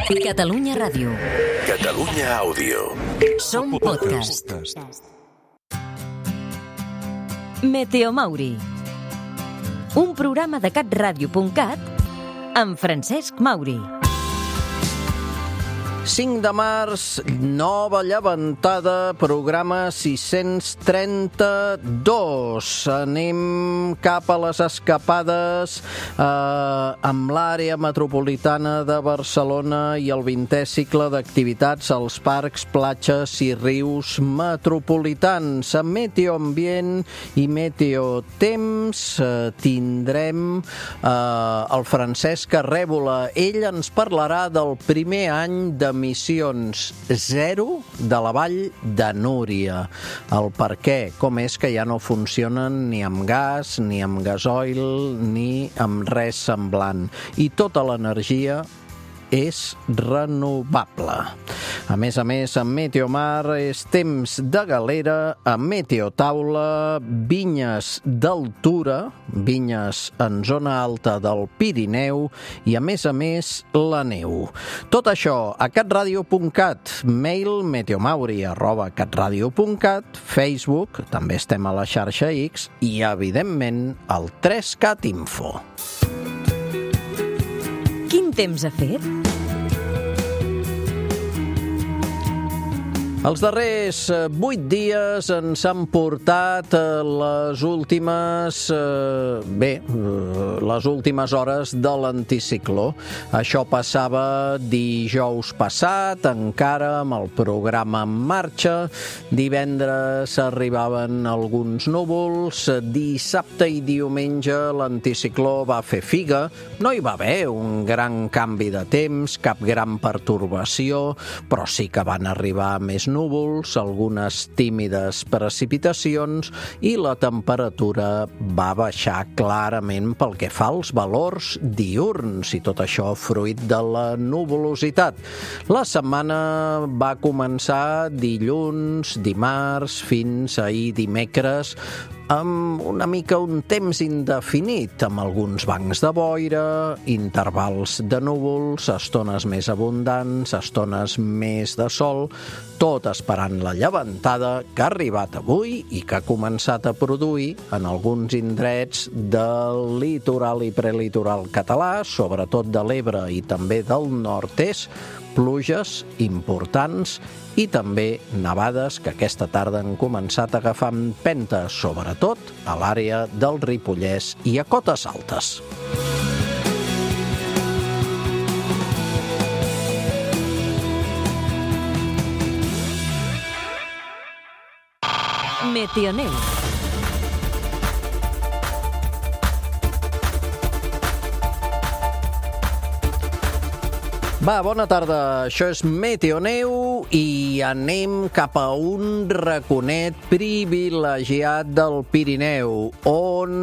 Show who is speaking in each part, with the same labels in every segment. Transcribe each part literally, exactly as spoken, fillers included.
Speaker 1: Catalunya Ràdio.
Speaker 2: Catalunya Àudio.
Speaker 1: Som podcast. Meteomauri. Un programa de catradio punt cat amb Francesc Mauri.
Speaker 3: cinc de març, nova llevantada, programa sis-cents trenta-dos. Anem cap a les escapades eh, amb l'àrea metropolitana de Barcelona i el vintè cicle d'activitats als parcs, platges i rius metropolitans. A Meteoambient i Meteotemps eh, tindrem eh, el Francesc Arrèbola. Ell ens parlarà del primer any de emissions zero de la Vall de Núria. El per què, com és que ja no funcionen ni amb gas, ni amb gasoil, ni amb res semblant. I tota l'energia és renovable. A més a més, a Meteomar és temps de galera, a Meteotaula, vinyes d'altura, vinyes en zona alta del Pirineu i, a més a més, la neu. Tot això a catradio punt cat, mail meteomauri arroba catradio punt cat, Facebook, també estem a la xarxa X i, evidentment, al tres cat info.
Speaker 1: Quin temps ha fet?
Speaker 3: Els darrers vuit dies ens han portat les últimes, eh, bé, les últimes hores de l'anticicló. Això passava dijous passat, encara amb el programa en marxa. Divendres arribaven alguns núvols. Dissabte i diumenge l'anticicló va fer figa. No hi va haver un gran canvi de temps, cap gran pertorbació, però sí que van arribar més núvols, algunes tímides precipitacions i la temperatura va baixar clarament pel que fa als valors diürns i tot això fruit de la nuvolositat. La setmana va començar dilluns, dimarts, fins ahir dimecres, amb una mica un temps indefinit, amb alguns bancs de boira, intervals de núvols, estones més abundants, estones més de sol, tot esperant la llevantada que ha arribat avui i que ha començat a produir en alguns indrets del litoral i prelitoral català, sobretot de l'Ebre i també del nord-est, pluges importants i també nevades que aquesta tarda han començat a agafar empenta, sobretot a l'àrea del Ripollès i a cotes altes.
Speaker 1: Meteoneu.
Speaker 3: Va, bona tarda. Això és Meteoneu i anem cap a un raconet privilegiat del Pirineu, on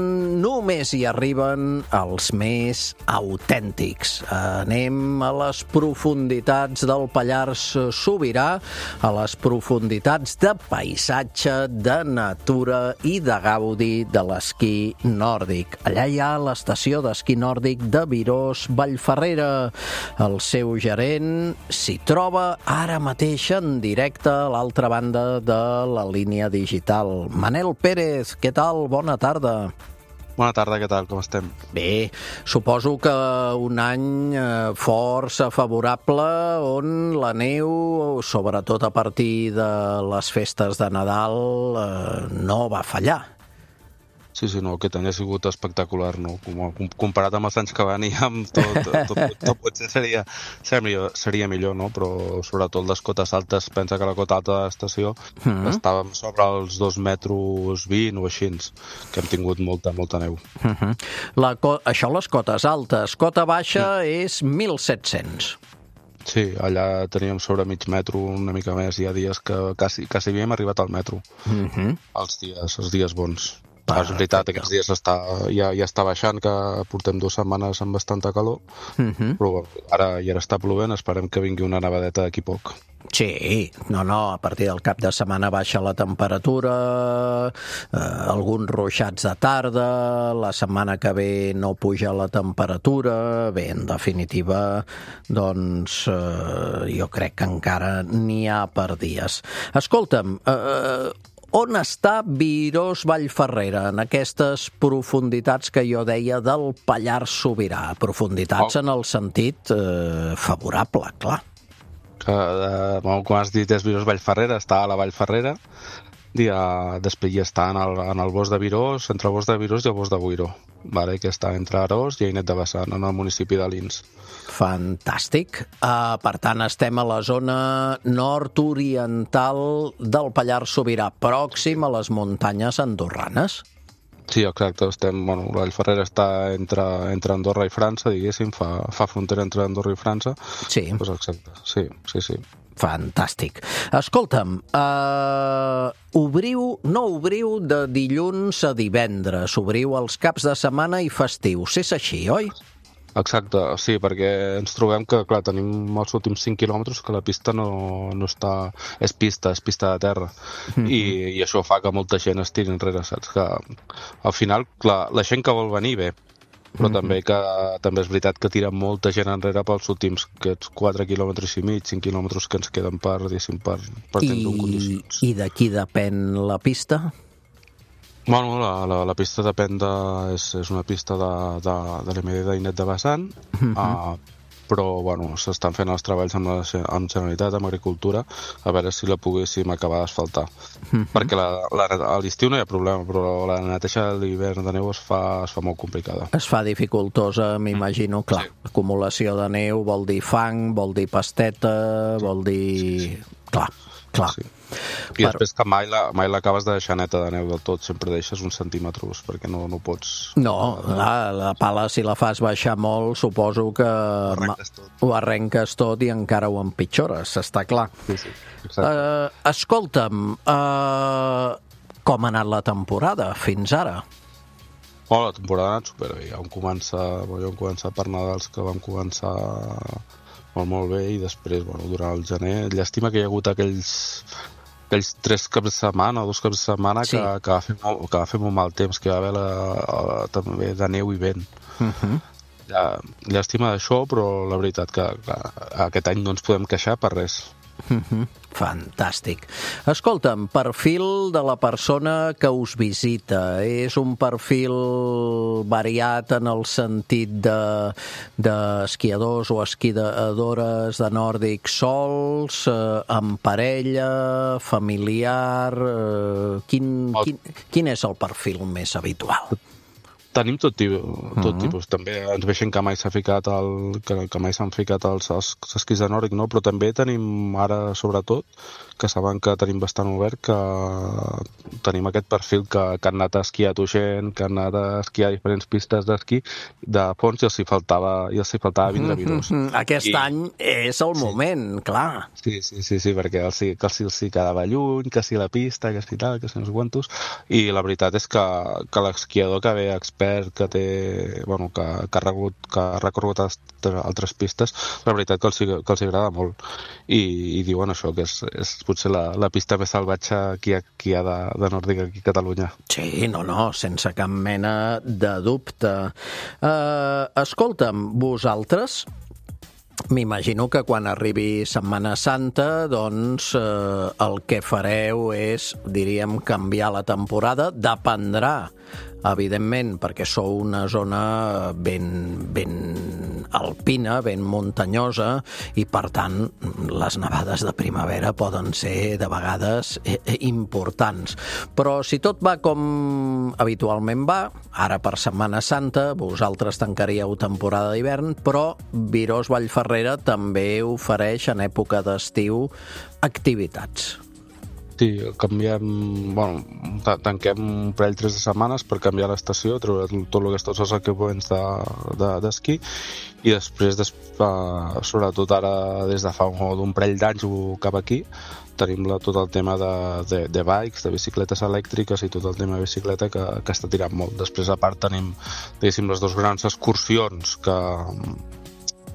Speaker 3: només hi arriben els més autèntics. Anem a les profunditats del Pallars Sobirà, a les profunditats de paisatge, de natura i de gaudi de l'esquí nòrdic. Allà hi ha l'estació d'esquí nòrdic de Virós Vallferrera. El seu gerent s'hi troba ara mateix en directe a l'altra banda de la línia digital. Manel Pérez, què tal? Bona tarda.
Speaker 4: Bona tarda, què tal? Com estem?
Speaker 3: Bé, suposo que un any força favorable on la neu, sobretot a partir de les festes de Nadal, no va fallar.
Speaker 4: Sí, sí, no, aquest any ha sigut espectacular, no? Comparat amb els anys que van i amb tot, tot, tot, tot potser seria, seria, seria millor, no? Però sobretot les cotes altes, pensa que la cota alta de l'estació mm-hmm. estàvem sobre els dos metres vint o així, que hem tingut molta, molta neu.
Speaker 3: Mm-hmm. La, això les cotes altes, cota baixa mm. és mil set-cents.
Speaker 4: Sí, allà teníem sobre mig metro, una mica més, hi ha dies que quasi, quasi havíem arribat al metro, mm-hmm. els dies, els dies bons. És veritat, aquests dies està, ja, ja està baixant, que portem dues setmanes amb bastanta calor, uh-huh. però ara ja està plovent, esperem que vingui una nevadeta d'aquí poc.
Speaker 3: Sí, no, no, a partir del cap de setmana baixa la temperatura, eh, alguns ruixats de tarda, la setmana que ve no puja la temperatura, bé, en definitiva, doncs eh, jo crec que encara n'hi ha per dies. Escolta'm, eh, on està Virós Vallferrera, en aquestes profunditats que jo deia del Pallars Sobirà? Profunditats oh. en el sentit eh, favorable, clar.
Speaker 4: Que, eh, com has dit, és Virós Vallferrera, està a la Vallferrera, i uh, després ja està en el, en el bosc de Virós, entre el bosc de Virós i el bosc de Boiró, vale? Que està entre Arós i Ainet de Bassant, en el municipi d'Alins.
Speaker 3: Fantàstic. Uh, per tant, estem a la zona nord-oriental del Pallars Sobirà, pròxim a les muntanyes andorranes.
Speaker 4: Sí, exacte. Estem, bueno, la Vallferrera està entre, entre Andorra i França, diguéssim, fa, fa frontera entre Andorra i França.
Speaker 3: Sí.
Speaker 4: Pues exacte, sí, sí, sí.
Speaker 3: Fantàstic. Escolta'm, uh, obriu, no obriu de dilluns a divendres, obriu els caps de setmana i festius. És així, oi?
Speaker 4: Exacte, sí, perquè ens trobem que, clar, tenim els últims cinc quilòmetres que la pista no, no està... És pista, és pista de terra. Mm-hmm. I, I això fa que molta gent es tiri enrere, saps? Que al final, clar, la gent que vol venir, bé, però mm-hmm. també que també és veritat que tira molta gent enrere pels últims aquests quatre quilòmetres i mig, cinc quilòmetres que ens queden per, diguéssim, per, per temps en condicions.
Speaker 3: I de qui depèn la pista?
Speaker 4: Bueno, la, la, la pista depèn de... És, és una pista de, de, de l'M D d'Ainet de Bassant, uh-huh. uh, però, bueno, s'estan fent els treballs amb, la, amb Generalitat, amb Agricultura, a veure si la poguéssim acabar d'asfaltar. Uh-huh. Perquè la, la, a l'estiu no hi ha problema, però la neteja de l'hivern de neu es fa, es fa molt complicada.
Speaker 3: Es fa dificultosa, m'imagino, clar. Sí. Acumulació de neu vol dir fang, vol dir pasteta, vol dir... Sí, sí. Clar, clar. Sí.
Speaker 4: I Però... després que mai, la, mai l'acabes de deixar neta de neu del tot, sempre deixes uns centímetres, perquè no, no pots...
Speaker 3: No, la, la pala, si la fas baixar molt, suposo que ho arrenques tot, ho arrenques tot i encara ho empitjores, està clar.
Speaker 4: Sí, sí, exacte.
Speaker 3: Uh, escolta'm, uh, com ha anat la temporada fins ara?
Speaker 4: Oh, la temporada ha anat superbé. Ja vam començar, ja vam començar per Nadals, que vam començar molt, molt bé, i després, bueno, durant el gener, llàstima que hi ha hagut aquells... aquells tres caps de setmana o dos caps de setmana sí. que, que, va fer molt, que va fer molt mal temps, que va haver la, la, també de neu i vent. Uh-huh. Ja, llàstima d'això, però la veritat que, que aquest any no ens podem queixar per res.
Speaker 3: Uh-huh. Fantàstic. Escolta'm, perfil de la persona que us visita. És un perfil variat en el sentit de, d'esquiadors o esquiadores de nòrdic sols, eh, amb parella, familiar... Eh, quin, quin, quin és el perfil més habitual?
Speaker 4: Tenim tot, tipus, tot uh-huh. tipus. També ens veixen que mai s'ha ficat el, que, que mai s'han ficat els, els esquís de nòrdic, no? Però també tenim ara, sobretot, que saben que tenim bastant obert, que tenim aquest perfil que, que han anat a esquiar a Tuixén, que han anat a esquiar a diferents pistes d'esquí de fons i els hi faltava, i els hi faltava vindre a Virós.
Speaker 3: Uh-huh. Aquest I... any és el moment, sí. clar.
Speaker 4: Sí, sí, sí, sí, perquè els, que els, els hi quedava lluny, que si la pista, que si tal, que si no sé quantos, i la veritat és que, que l'esquiador que ve expert, que té, bueno, que, que ha recorregut, que ha recorregut altres pistes, la veritat que els, que els agrada molt. I, i diuen això, que és, és potser la, la pista més salvatge que hi ha, que hi ha de, de nòrdic aquí a Catalunya.
Speaker 3: Sí, no, no, sense cap mena de dubte. Uh, escolta'm, vosaltres... M'imagino que quan arribi Setmana Santa, doncs eh, el que fareu és, diríem, canviar la temporada. Dependrà, evidentment, perquè sou una zona ben, ben alpina, ben muntanyosa, i per tant les nevades de primavera poden ser de vegades importants. Però si tot va com habitualment va, ara per Setmana Santa vosaltres tancaríeu temporada d'hivern, però Virós Vallferrera també ofereix en època d'estiu activitats.
Speaker 4: Sí, canviem, bueno, tanquem un parell tres de setmanes per canviar l'estació, treure tot el que tots els equipaments d'esquí de, de, i després, des, uh, sobretot ara des de fa un parell d'anys cap aquí, tenim la, tot el tema de, de, de bikes, de bicicletes elèctriques i tot el tema de bicicleta que, que està tirant molt. Després, a part, tenim, diguéssim, les dues grans excursions que,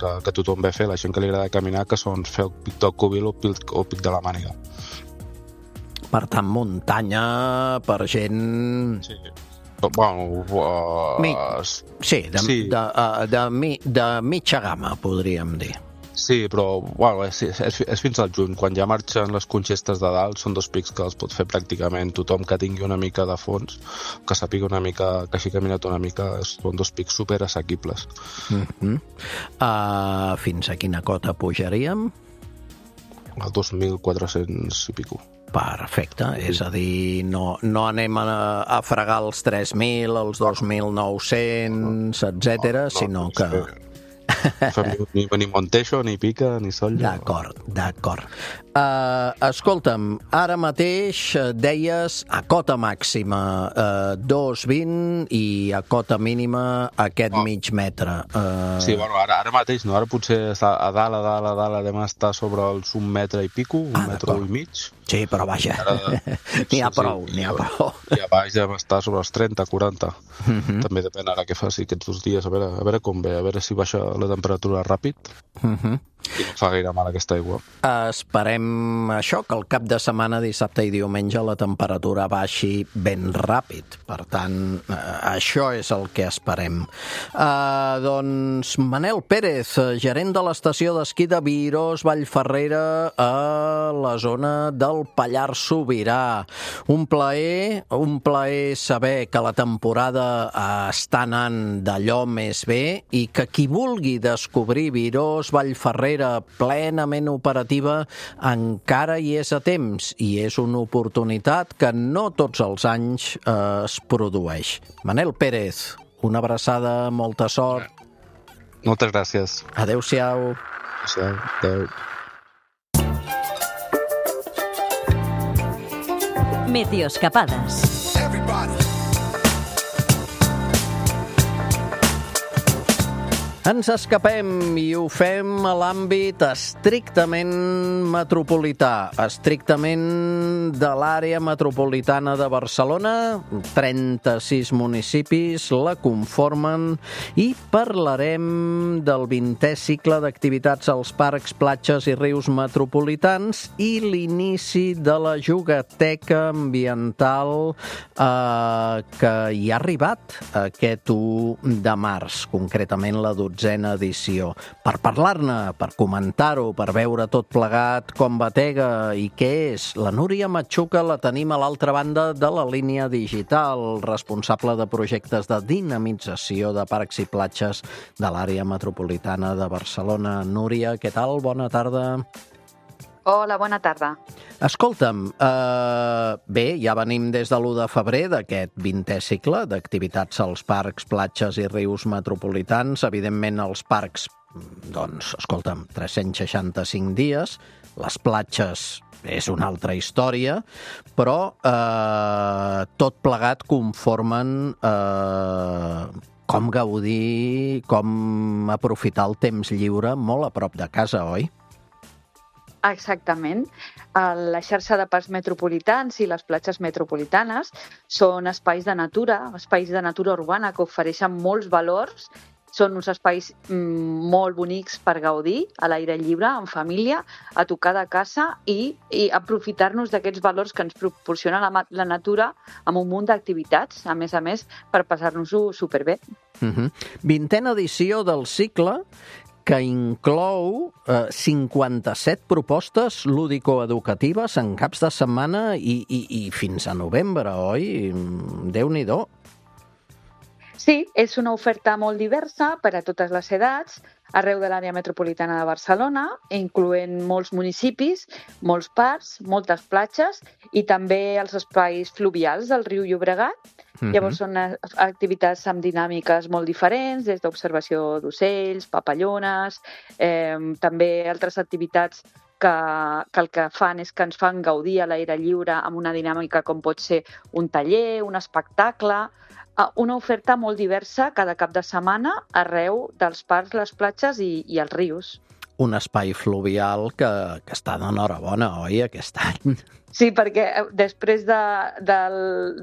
Speaker 4: que, que tothom ve a fer, la gent que li agrada caminar, que són fer el Pic del Cúbil o el Pic de la Màniga.
Speaker 3: Per tant, muntanya per gent...
Speaker 4: Sí. Bueno, uh,
Speaker 3: Mi... Sí, de, sí. De, de, de, de, de mitja gamma, podríem dir.
Speaker 4: Sí, però bueno, és, és, és fins al juny. Quan ja marxen les conxestes de dalt, són dos pics que els pot fer pràcticament tothom que tingui una mica de fons, que sàpiga una mica, que hagi caminat una mica, són dos pics super assequibles.
Speaker 3: Mm-hmm. uh, Fins a quina cota pujaríem?
Speaker 4: Al dos mil quatre-cents i pico.
Speaker 3: Perfecte, és a dir, no, no anem a, a fregar els tres mil, els dos mil nou-cents, etcètera, no, no, sinó que...
Speaker 4: Ni, ni Montejo, ni Pica, ni Sol.
Speaker 3: D'acord, d'acord. Uh, escolta'm, ara mateix deies a cota màxima uh, dos coma vint i a cota mínima aquest oh. mig metre. Uh...
Speaker 4: Sí, bueno, ara, ara mateix no, ara potser a dalt, a dalt, a dalt, adem estar sobre els un metre i pico, un ah, metre i mig.
Speaker 3: Sí, però vaja, n'hi ha prou,
Speaker 4: sí,
Speaker 3: n'hi ha prou.
Speaker 4: I a baix devem estar sobre els trenta, quaranta. Uh-huh. També depèn ara què faci aquests dos dies, a veure, a veure com ve, a veure si baixa la temperatura ràpid. Uh-huh. I no fa gaire mal aquesta aigua.
Speaker 3: Esperem això, que el cap de setmana, dissabte i diumenge, la temperatura baixi ben ràpid. Per tant, eh, això és el que esperem. Eh, doncs, Manel Pérez, gerent de l'estació d'esquí de Virós, Vallferrera, a la zona del Pallars Sobirà. Un plaer, un plaer saber que la temporada està anant d'allò més bé i que qui vulgui descobrir Virós, Vallferrera, plenament operativa, encara hi és a temps i és una oportunitat que no tots els anys eh, es produeix. Manel Pérez, una abraçada, molta sort.
Speaker 4: Moltes gràcies.
Speaker 3: Adéu-siau.
Speaker 4: Adéu-siau. Adéu.
Speaker 1: Meteoscapades.
Speaker 3: Ens escapem i ho fem a l'àmbit estrictament metropolità, estrictament de l'àrea metropolitana de Barcelona. trenta-sis municipis la conformen i parlarem del vintè cicle d'activitats als parcs, platges i rius metropolitans i l'inici de la jugateca ambiental eh, que hi ha arribat aquest u de març, concretament la dotzena edició. Per parlar-ne, per comentar-ho, per veure tot plegat com batega i què és, la Núria Matxuca la tenim a l'altra banda de la línia digital, responsable de projectes de dinamització de parcs i platges de l'àrea metropolitana de Barcelona. Núria, què tal? Bona tarda.
Speaker 5: Hola, bona tarda.
Speaker 3: Escolta'm, eh, bé, ja venim des de l'u de febrer d'aquest vintè cicle d'activitats als parcs, platges i rius metropolitans. Evidentment, els parcs, doncs, escolta'm, tres-cents seixanta-cinc dies, les platges és una altra història, però eh, tot plegat conformen eh, com gaudir, com aprofitar el temps lliure molt a prop de casa, oi?
Speaker 5: Exactament. La xarxa de parcs metropolitans i les platges metropolitanes són espais de natura, espais de natura urbana que ofereixen molts valors. Són uns espais molt bonics per gaudir a l'aire lliure, en família, a tocar de casa i, i aprofitar-nos d'aquests valors que ens proporciona la, la natura amb un munt d'activitats, a més a més, per passar-nos-ho superbé.
Speaker 3: Uh-huh. Vintena edició del cicle que inclou eh, cinquanta-set propostes lúdico-educatives en caps de setmana i, i, i fins a novembre, oi? Déu-n'hi-do.
Speaker 5: Sí, és una oferta molt diversa per a totes les edats, arreu de l'àrea metropolitana de Barcelona, incloent molts municipis, molts parcs, moltes platges i també els espais fluvials del riu Llobregat. Uh-huh. Llavors són activitats amb dinàmiques molt diferents, des d'observació d'ocells, papallones, eh, també altres activitats que, que el que fan és que ens fan gaudir a l'aire lliure amb una dinàmica com pot ser un taller, un espectacle, una oferta molt diversa cada cap de setmana arreu dels parcs, les platges i, i els rius.
Speaker 3: Un espai fluvial que, que està d'enhorabona, oi, aquest any?
Speaker 5: Sí, perquè després de, de,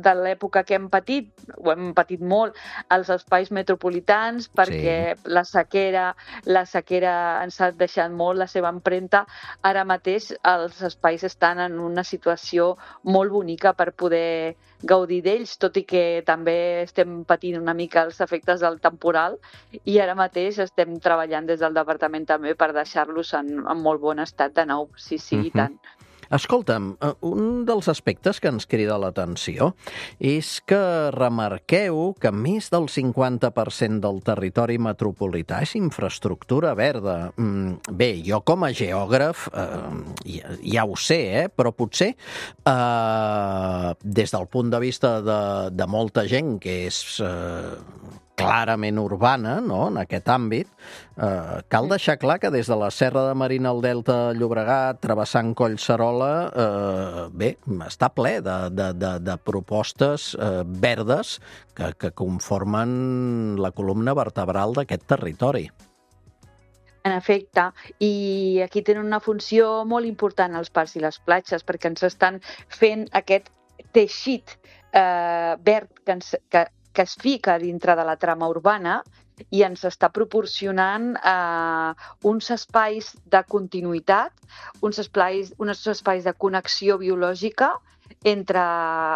Speaker 5: de l'època que hem patit, ho hem patit molt, els espais metropolitans, perquè sí. la sequera, la sequera ens ha deixat molt la seva empremta, ara mateix els espais estan en una situació molt bonica per poder gaudir d'ells, tot i que també estem patint una mica els efectes del temporal i ara mateix estem treballant des del departament també per deixar-los en, en molt bon estat de nou, sí, sí, uh-huh. i tant.
Speaker 3: Escolta'm, un dels aspectes que ens crida l'atenció és que remarqueu que més del cinquanta per cent del territori metropolità és infraestructura verda. Bé, jo com a geògraf eh, ja, ja ho sé, eh, però potser eh, des del punt de vista de, de molta gent que és eh, clarament urbana, no?, en aquest àmbit, eh, cal deixar clar que des de la Serra de Marina al Delta Llobregat, travessant Collserola, eh, bé, està ple de, de, de, de propostes eh, verdes que, que conformen la columna vertebral d'aquest territori.
Speaker 5: En efecte, i aquí tenen una funció molt important els parcs i les platges, perquè ens estan fent aquest teixit eh, verd que ens... Que, que es fica dintre de la trama urbana i ens està proporcionant eh, uns espais de continuïtat, uns espais, uns espais de connexió biològica entre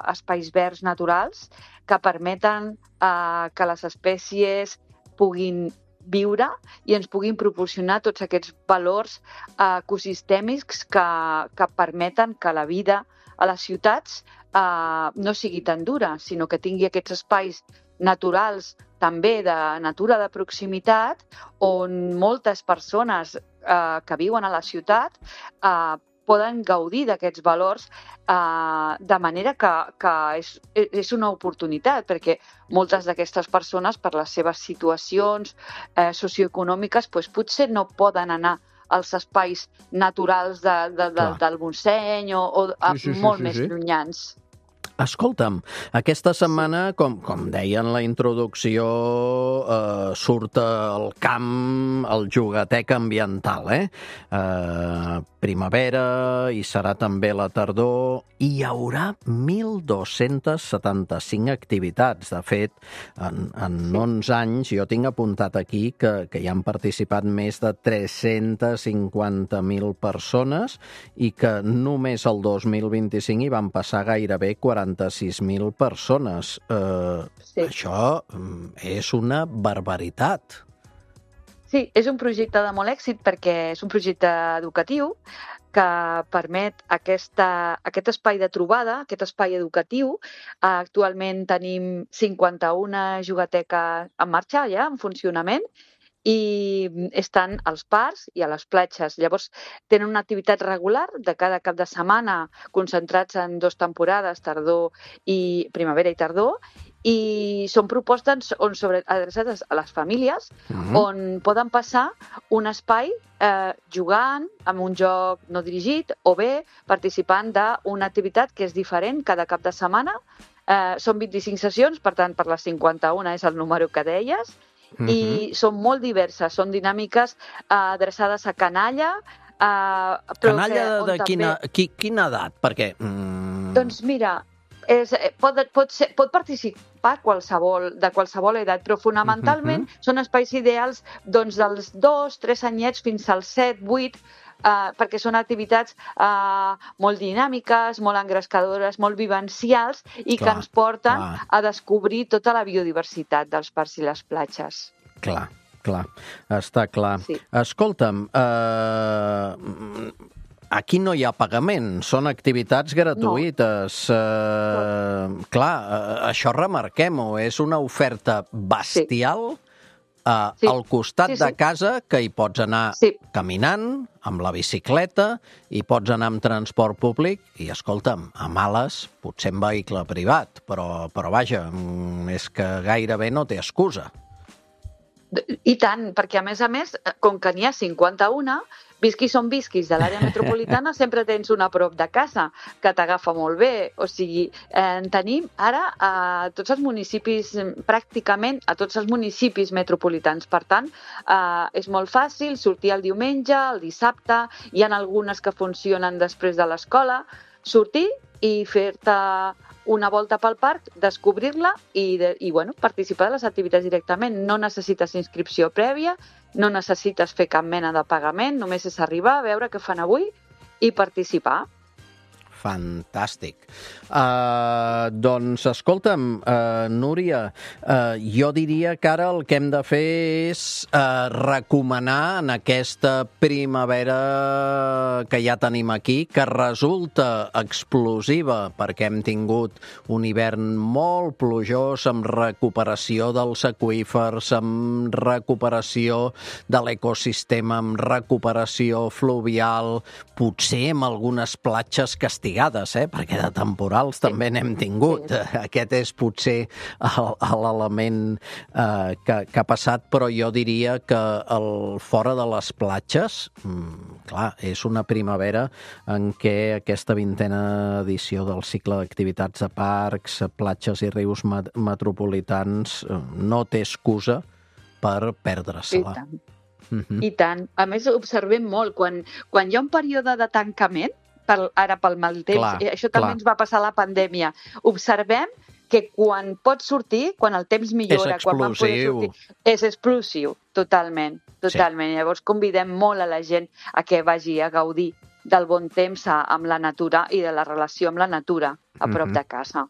Speaker 5: espais verds naturals que permeten eh, que les espècies puguin viure i ens puguin proporcionar tots aquests valors eh, ecosistèmics que, que permeten que la vida a les ciutats Uh, no sigui tan dura, sinó que tingui aquests espais naturals, també de natura de proximitat, on moltes persones uh, que viuen a la ciutat uh, poden gaudir d'aquests valors uh, de manera que, que és, és una oportunitat, perquè moltes d'aquestes persones, per les seves situacions uh, socioeconòmiques, doncs, potser no poden anar als espais naturals de, de, de, del Montseny o, o sí, sí, sí, molt sí, més sí. llunyans.
Speaker 3: Escolta'm, aquesta setmana, com, com deia en la introducció, eh, surt al camp el Jugatec ambiental, eh? eh? Primavera, i serà també la tardor, i hi haurà mil dos-cents setanta-cinc activitats. De fet, en, en onze anys, jo tinc apuntat aquí que, que hi han participat més de tres-cents cinquanta mil persones i que només el dos mil vint-i-cinc hi van passar gairebé quaranta-sis mil persones. Eh, sí. Això és una barbaritat.
Speaker 5: Sí, és un projecte de molt èxit perquè és un projecte educatiu que permet aquesta, aquest espai de trobada, aquest espai educatiu. Actualment tenim cinquanta-una jugateques en marxa ja, en funcionament, i estan als parcs i a les platges. Llavors, tenen una activitat regular de cada cap de setmana, concentrats en dues temporades, tardor i primavera i tardor, i són propostes on sobre, adreçades a les famílies, uh-huh. on poden passar un espai eh, jugant amb un joc no dirigit o bé participant d'una activitat que és diferent cada cap de setmana. Eh, són vint-i-cinc sessions, per tant, per les cinquanta-una és el número que deies, uh-huh. i són molt diverses, són dinàmiques eh, adreçades a canalla. Eh, però
Speaker 3: canalla
Speaker 5: que,
Speaker 3: de, de quina, també... qui, quina edat? Perquè... Mm...
Speaker 5: Doncs mira... És, pot, pot, ser, pot participar qualsevol, de qualsevol edat, però fonamentalment uh-huh. són espais ideals doncs, dels dos, tres anyets fins als set, vuit, eh, perquè són activitats eh, molt dinàmiques, molt engrescadores, molt vivencials i clar, que ens porten clar. a descobrir tota la biodiversitat dels parcs i les platges.
Speaker 3: Clar, clar, està clar. Sí. Escolta'm, eh... aquí no hi ha pagament, són activitats gratuïtes. No. Uh, clar, uh, això remarquem-ho, és una oferta bestial sí. uh, sí. al costat sí, sí. de casa, que hi pots anar sí. caminant, amb la bicicleta, i pots anar amb transport públic, i escolta'm, a males, potser en vehicle privat, però, però vaja, és que gairebé no té excusa.
Speaker 5: I tant, perquè a més a més, com que n'hi ha cinquanta-una, visquis on visquis de l'àrea metropolitana, sempre tens una a prop de casa que t'agafa molt bé. O sigui, eh, en tenim ara a tots els municipis, pràcticament a tots els municipis metropolitans. Per tant, eh, és molt fàcil sortir el diumenge, el dissabte, hi ha algunes que funcionen després de l'escola, sortir i fer-te una volta pel parc, descobrir-la i, de, i bueno, participar de les activitats directament. No necessites inscripció prèvia, no necessites fer cap mena de pagament, només és arribar, veure què fan avui i participar.
Speaker 3: Fantàstic. Uh, doncs, escolta'm, uh, Núria, uh, jo diria que ara el que hem de fer és uh, recomanar en aquesta primavera que ja tenim aquí, que resulta explosiva perquè hem tingut un hivern molt plujós, amb recuperació dels aqüífers, amb recuperació de l'ecosistema, amb recuperació fluvial, potser amb algunes platges castigades, eh? Perquè de temporals també n'hem tingut. Sí. Aquest és potser l'element eh, que, que ha passat, però jo diria que el, fora de les platges, mm, clar, és una primavera en què aquesta vintena edició del cicle d'activitats de parcs, platges i rius met metropolitans no té excusa per perdre-se-la.
Speaker 5: I tant. Mm-hmm. I tant. A més, observem molt, quan, quan hi ha un període de tancament, per, ara pel mal temps, clar, això també clar. Ens va passar a la pandèmia, observem que quan pots sortir, quan el temps millora, quan vam poder sortir, és explosiu, totalment, totalment. Sí. Llavors convidem molt a la gent a que vagi a gaudir del bon temps a, amb la natura i de la relació amb la natura a prop mm-hmm. de casa.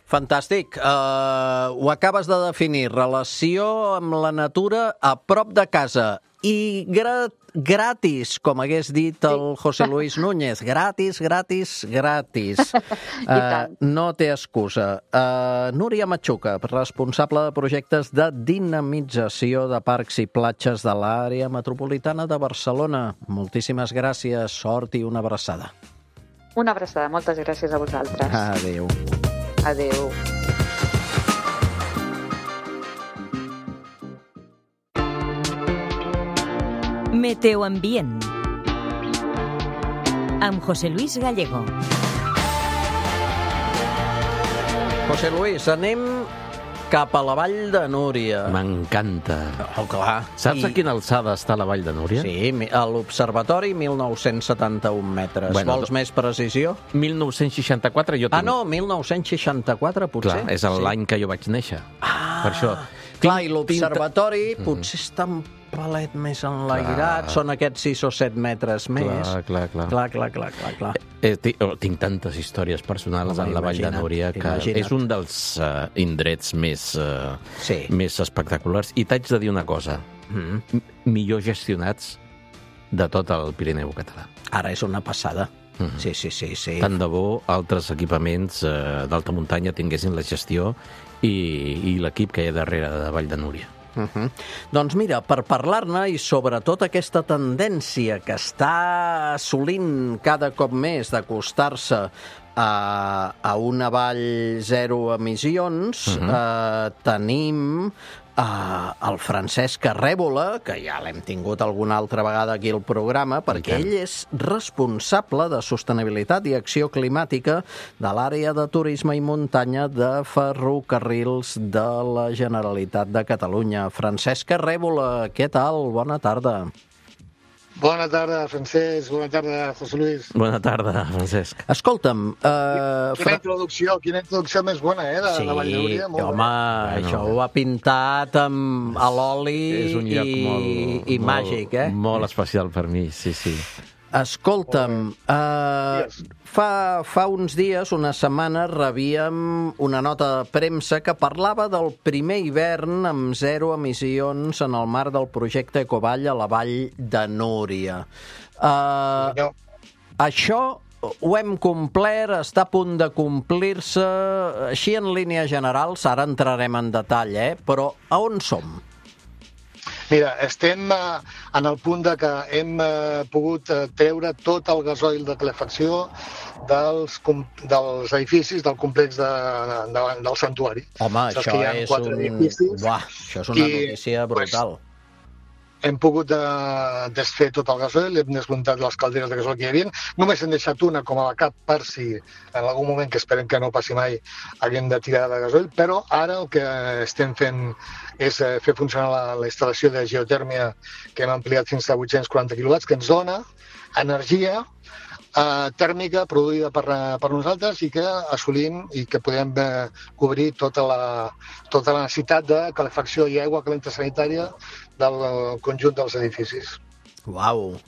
Speaker 3: Fantàstic. Uh, ho acabes de definir, relació amb la natura a prop de casa i gra gratis, com hagués dit el José Luis Núñez. Gratis, gratis, gratis. Uh, no té excusa. Uh, Núria Machuca, responsable de projectes de dinamització de parcs i platges de l'àrea metropolitana de Barcelona. Moltíssimes gràcies, sort i una abraçada.
Speaker 5: Una abraçada, moltes gràcies a vosaltres.
Speaker 3: Adéu.
Speaker 5: Adéu.
Speaker 1: Meteoambient amb José Luis Gallego.
Speaker 3: José Luis, anem cap a la Vall de Núria.
Speaker 6: M'encanta.
Speaker 3: Oh, clar.
Speaker 6: Saps I... a quina alçada està la Vall de Núria?
Speaker 3: Sí, a l'Observatori, mil nou-cents setanta-un metres. Bueno, vols més precisió?
Speaker 6: mil nou-cents seixanta-quatre jo tinc...
Speaker 3: Ah, no, mil nou-cents seixanta-quatre, potser.
Speaker 6: Clar, és l'any sí. que jo vaig néixer.
Speaker 3: Ah,
Speaker 6: per això.
Speaker 3: Clar, i l'Observatori tinc... potser està un palet més enlairat, són aquests sis o set metres més.
Speaker 6: Clar, clar, clar.
Speaker 3: Clar, clar, clar, clar, clar.
Speaker 6: Eh, tinc, tinc tantes històries personals Home, en la Vall de Núria que imagina't. És un dels uh, indrets més, uh, sí. més espectaculars. I t'haig de dir una cosa, mm-hmm. millor gestionats de tot el Pirineu català.
Speaker 3: Ara és una passada.
Speaker 6: Mm-hmm.
Speaker 3: Sí, sí, sí, sí.
Speaker 6: Tant de bo altres equipaments uh, d'alta muntanya tinguessin la gestió i, i l'equip que hi ha darrere de Vall de Núria.
Speaker 3: Uh-huh. Doncs mira, per parlar-ne i sobretot aquesta tendència que està assolint cada cop més d'acostar-se a, a una vall zero emissions, uh-huh. eh, tenim Uh, el Francesc Arrèbola, que ja l'hem tingut alguna altra vegada aquí al programa, perquè ell és responsable de sostenibilitat i acció climàtica de l'àrea de turisme i muntanya de Ferrocarrils de la Generalitat de Catalunya. Francesc Arrèbola, què tal? Bona tarda.
Speaker 7: Bona tarda, Francesc. Bona tarda, José Luis.
Speaker 6: Bona tarda, Francesc.
Speaker 3: Escolta'm...
Speaker 7: Uh, quina introducció, quina introducció més bona, eh, de,
Speaker 3: sí,
Speaker 7: de Vall de Núria.
Speaker 3: Sí, home, bueno, això ho ha pintat amb a l'oli i,
Speaker 6: molt,
Speaker 3: i
Speaker 6: molt,
Speaker 3: màgic, eh?
Speaker 6: Molt especial per mi, sí, sí.
Speaker 3: Escolta'm, uh, fa, fa uns dies, una setmana, rebíem una nota de premsa que parlava del primer hivern amb zero emissions en el marc del projecte Ecovall a la Vall de Núria. Uh, no. Això ho hem complert, està a punt de complir-se, així en línies generals, ara entrarem en detall, eh? Però a on som?
Speaker 7: Mira, estem eh, en el punt de que hem eh, pogut eh, treure tot el gasoil de calefacció dels, dels edificis del complex de, de, del santuari.
Speaker 3: Home, això és, un... Buah, això és una i, notícia brutal.
Speaker 7: Pues, hem pogut uh, desfer tot el gasoil, hem desmuntat les calderes de gasoil que hi havia. Només hem deixat una com a la cap per si en algun moment, que esperem que no passi mai, haguem de tirar de gasoil, però ara el que estem fent és uh, fer funcionar la, la instal·lació de geotèrmia que hem ampliat fins a vuit-cents quaranta quilowatts, que ens dona energia Uh, tèrmica produïda per, per nosaltres i que assolim i que podem uh, cobrir tota la, tota la necessitat de calefacció i aigua calenta sanitària del conjunt dels edificis.
Speaker 3: Uau!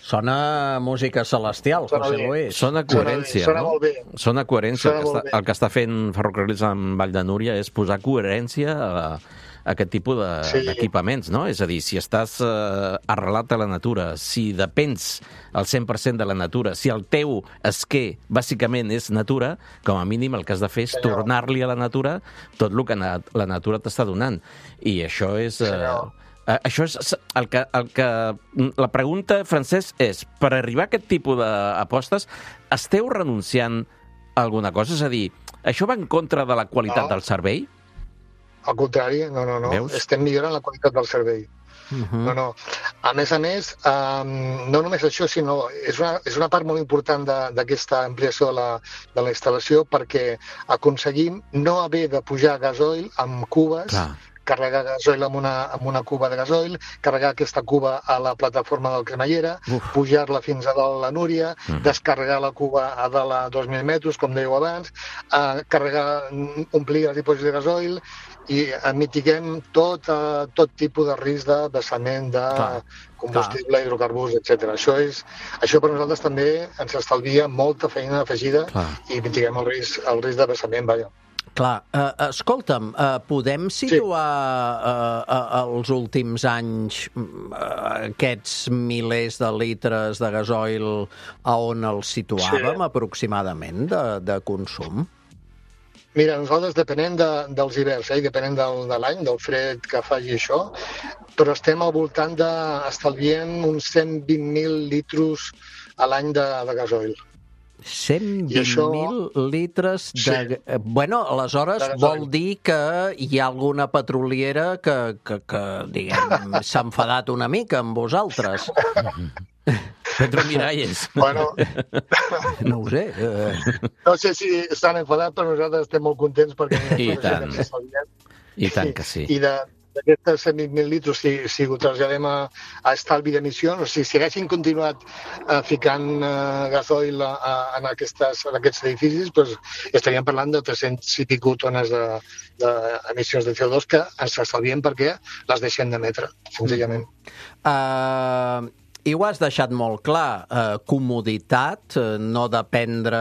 Speaker 3: Sona música celestial,
Speaker 7: Sona
Speaker 3: José
Speaker 7: bé.
Speaker 3: Luis.
Speaker 6: Sona coherència,
Speaker 7: sona, sona
Speaker 6: no?
Speaker 7: Molt bé.
Speaker 6: Sona coherència.
Speaker 7: Sona
Speaker 6: el, que
Speaker 7: molt
Speaker 6: està,
Speaker 7: bé.
Speaker 6: el que està fent Ferrocarrils en Vall de Núria és posar coherència a, a aquest tipus de,
Speaker 7: Sí.
Speaker 6: d'equipaments, no? És a dir, si estàs eh, arrelat a la natura, si depens al cent per cent de la natura, si el teu esquer bàsicament és natura, com a mínim el que has de fer és
Speaker 7: Senyor.
Speaker 6: tornar-li a la natura tot el que na, la natura t'està donant. I això és... Eh,
Speaker 7: Senyor.
Speaker 6: Uh, això és el que, el que... La pregunta, Francesc, és, per arribar a aquest tipus d'apostes, esteu renunciant a alguna cosa? És a dir, això va en contra de la qualitat
Speaker 7: No.
Speaker 6: del servei?
Speaker 7: Al contrari, no, no, no.
Speaker 6: Veus?
Speaker 7: Estem millorant la qualitat del servei.
Speaker 3: Uh-huh.
Speaker 7: No, no. A més a més, um, no només això, sinó és una, és una part molt important de- d'aquesta ampliació de la, de la instal·lació perquè aconseguim no haver de pujar gasoil amb cubes,
Speaker 6: Clar.
Speaker 7: carregar gasoil amb una, amb una cuba de gasoil, carregar aquesta cuba a la plataforma del cremallera,
Speaker 6: Uf.
Speaker 7: pujar-la fins a dalt la Núria,
Speaker 6: Mhm.
Speaker 7: descarregar la cuba a dalt a dos mil metres, com dèieu abans, eh, carregar, omplir els dipòsits de gasoil i eh, mitiguem tot, eh, tot tipus de risc de vessament de
Speaker 3: Clar,
Speaker 7: combustible, hidrocarburs, etcètera. Això és, això per nosaltres també ens estalvia molta feina afegida
Speaker 6: Clar.
Speaker 7: i mitiguem el risc, el risc de vessament, vaja.
Speaker 3: Clar, uh, escolta'm, uh, podem situar uh, uh, els últims anys uh, aquests milers de litres de gasoil a on els situàvem
Speaker 7: Sí.
Speaker 3: aproximadament de, de consum?
Speaker 7: Mira, nosaltres depenent de, dels hiverns, eh, i depenent del, de l'any, del fred que faci això, però estem al voltant d'estalviem uns cent vint mil litros a l'any de, de gasoil.
Speaker 3: cent
Speaker 7: I això-
Speaker 3: vint mil litres de...
Speaker 7: Sí.
Speaker 3: Eh, Bueno, aleshores
Speaker 7: De gasoil.
Speaker 3: vol dir que hi ha alguna petroliera que, que, que diguem, s'ha enfadat una mica amb vosaltres.
Speaker 6: Pedro Miralles.
Speaker 7: Bueno,
Speaker 3: No ho sé. Eh,
Speaker 7: no sé si estan enfadats, però nosaltres estem molt contents perquè...
Speaker 6: I
Speaker 7: tot això
Speaker 6: tant.
Speaker 7: que ens estalviem.
Speaker 6: I tant que sí.
Speaker 7: I de, d'aquestes cent vint mil litros, si, si ho traslladem a, a estalvi d'emissions, o sigui, si haguessin continuat uh, ficant uh, gasoil a, a, en, aquestes, en aquests edificis, doncs estaríem parlant de tres-cents i pico tones d'emissions de, de, de C O dos que ens estalviem perquè les deixem d'emetre, senzillament.
Speaker 3: Uh, i ho has deixat molt clar, uh, comoditat, uh, no dependre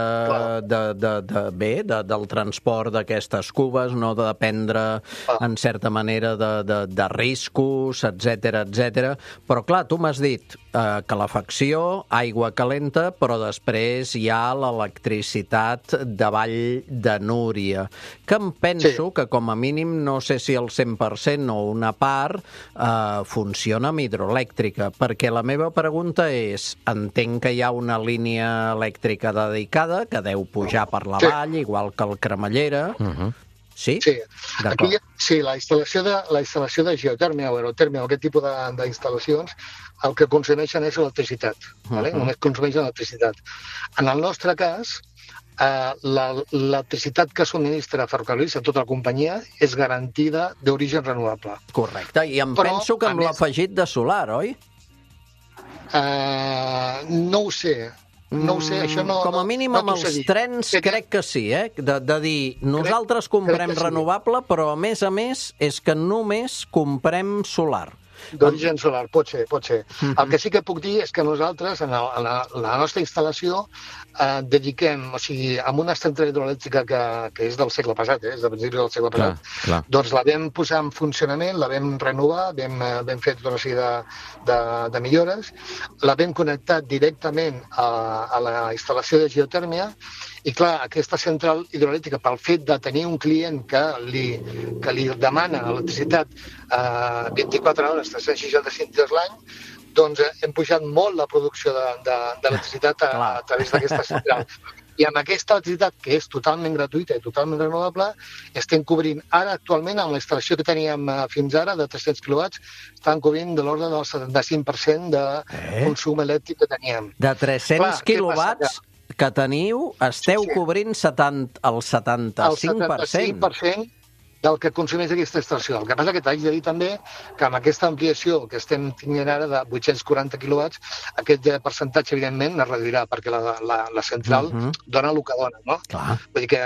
Speaker 3: de, de, de, bé, de, del transport d'aquestes cubes, no de dependre,
Speaker 7: Clar.
Speaker 3: en certa manera, de, de, de riscos, etcètera, etcètera. Però, clar, tu m'has dit uh, calefacció, aigua calenta, però després hi ha l'electricitat de Vall de Núria, que em penso
Speaker 7: Sí.
Speaker 3: que, com a mínim, no sé si el cent per cent o una part, uh, funciona amb hidroelèctrica, perquè la meva pregunta és, entenc que hi ha una línia elèctrica dedicada que deu pujar per la
Speaker 7: Sí.
Speaker 3: vall, igual que el Cremallera.
Speaker 6: Uh -huh.
Speaker 3: Sí?
Speaker 7: Sí,
Speaker 3: D'acord.
Speaker 7: aquí, sí, la instal·lació de, la instal·lació de geotèrmia o aerotèrmia o aquest tipus de- d'instal·lacions el que consumeixen és electricitat, vale?
Speaker 3: Mhm.
Speaker 7: Només consumeixen electricitat. En el nostre cas, eh, la- l'electricitat que subministra Ferrocarrils a tota la companyia és garantida d'origen renovable.
Speaker 3: Correcte, i em
Speaker 7: Però,
Speaker 3: penso que
Speaker 7: a
Speaker 3: amb
Speaker 7: més-
Speaker 3: l'afegit de solar, oi?
Speaker 7: Eh, no ho sé, no ho sé, això no...
Speaker 3: Com a
Speaker 7: no-
Speaker 3: mínim
Speaker 7: no
Speaker 3: amb
Speaker 7: t'ho
Speaker 3: els
Speaker 7: sé dir.
Speaker 3: trens
Speaker 7: Sé que-
Speaker 3: crec que sí, eh? De, de dir, nosaltres
Speaker 7: crec
Speaker 3: comprem
Speaker 7: que sí.
Speaker 3: renovable, però a més a més és que només comprem solar.
Speaker 7: D'origen solar, pot ser, pot ser. El que sí que puc dir és que nosaltres, en, el, en la, la nostra instal·lació, eh, dediquem, o sigui, amb una central hidroelèctrica que, que és del segle passat, eh, és de principi del segle
Speaker 6: Clar,
Speaker 7: passat,
Speaker 6: clar.
Speaker 7: doncs la vam posar en funcionament, la vam renovar, vam, eh, vam fer tota una sèrie de, de, de millores, la vam connectar directament a, a la instal·lació de geotèrmia i, clar, aquesta central hidroelèctrica, pel fet de tenir un client que li, que li demana electricitat eh, vint-i-quatre hores, tres cents seixanta-cinc dies l'any, doncs eh, hem pujat molt la producció d'electricitat de, de, a, a través d'aquesta central. I amb aquesta electricitat, que és totalment gratuïta i totalment renovable, estem cobrint ara actualment, amb la instal·lació que teníem fins ara, de tres-cents quilowatts, estan cobrint de l'ordre del setanta-cinc per cent de eh? consum elèctric que teníem.
Speaker 3: De tres-cents quilowatts que teniu, esteu sí. cobrint setanta, el setanta-cinc per cent?
Speaker 7: El setanta-cinc per cent del que consumeix aquesta instal·lació. El que passa que t'haig de dir també que amb aquesta ampliació que estem tenint ara de vuit-cents quaranta quilowatts, aquest percentatge, evidentment, es reduirà, perquè la, la, la central uh-huh. dona el que dona, no?
Speaker 3: Clar.
Speaker 7: Vull dir que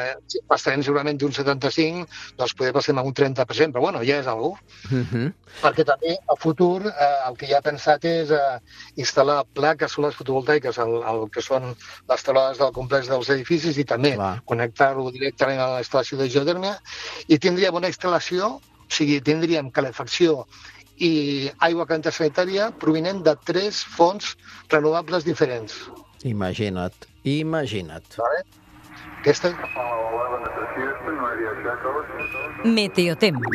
Speaker 7: passarem segurament d'un setanta-cinc, doncs poder passar a un trenta per cent, però bueno, ja és algú. Uh-huh. Perquè també, a futur, eh, el que ja he pensat és eh, instal·lar plaques solars fotovoltaiques, el, el que són les teulades del complex dels edificis, i també Clar. connectar-ho directament a la instal·lació de geotèrmia, i tindria tindríem una instal·lació, o sigui, tindríem calefacció i aigua calenta sanitària provinent de tres fonts renovables diferents.
Speaker 3: Imagina't, imagina't.
Speaker 7: Vale? Aquesta...
Speaker 1: Meteotemps.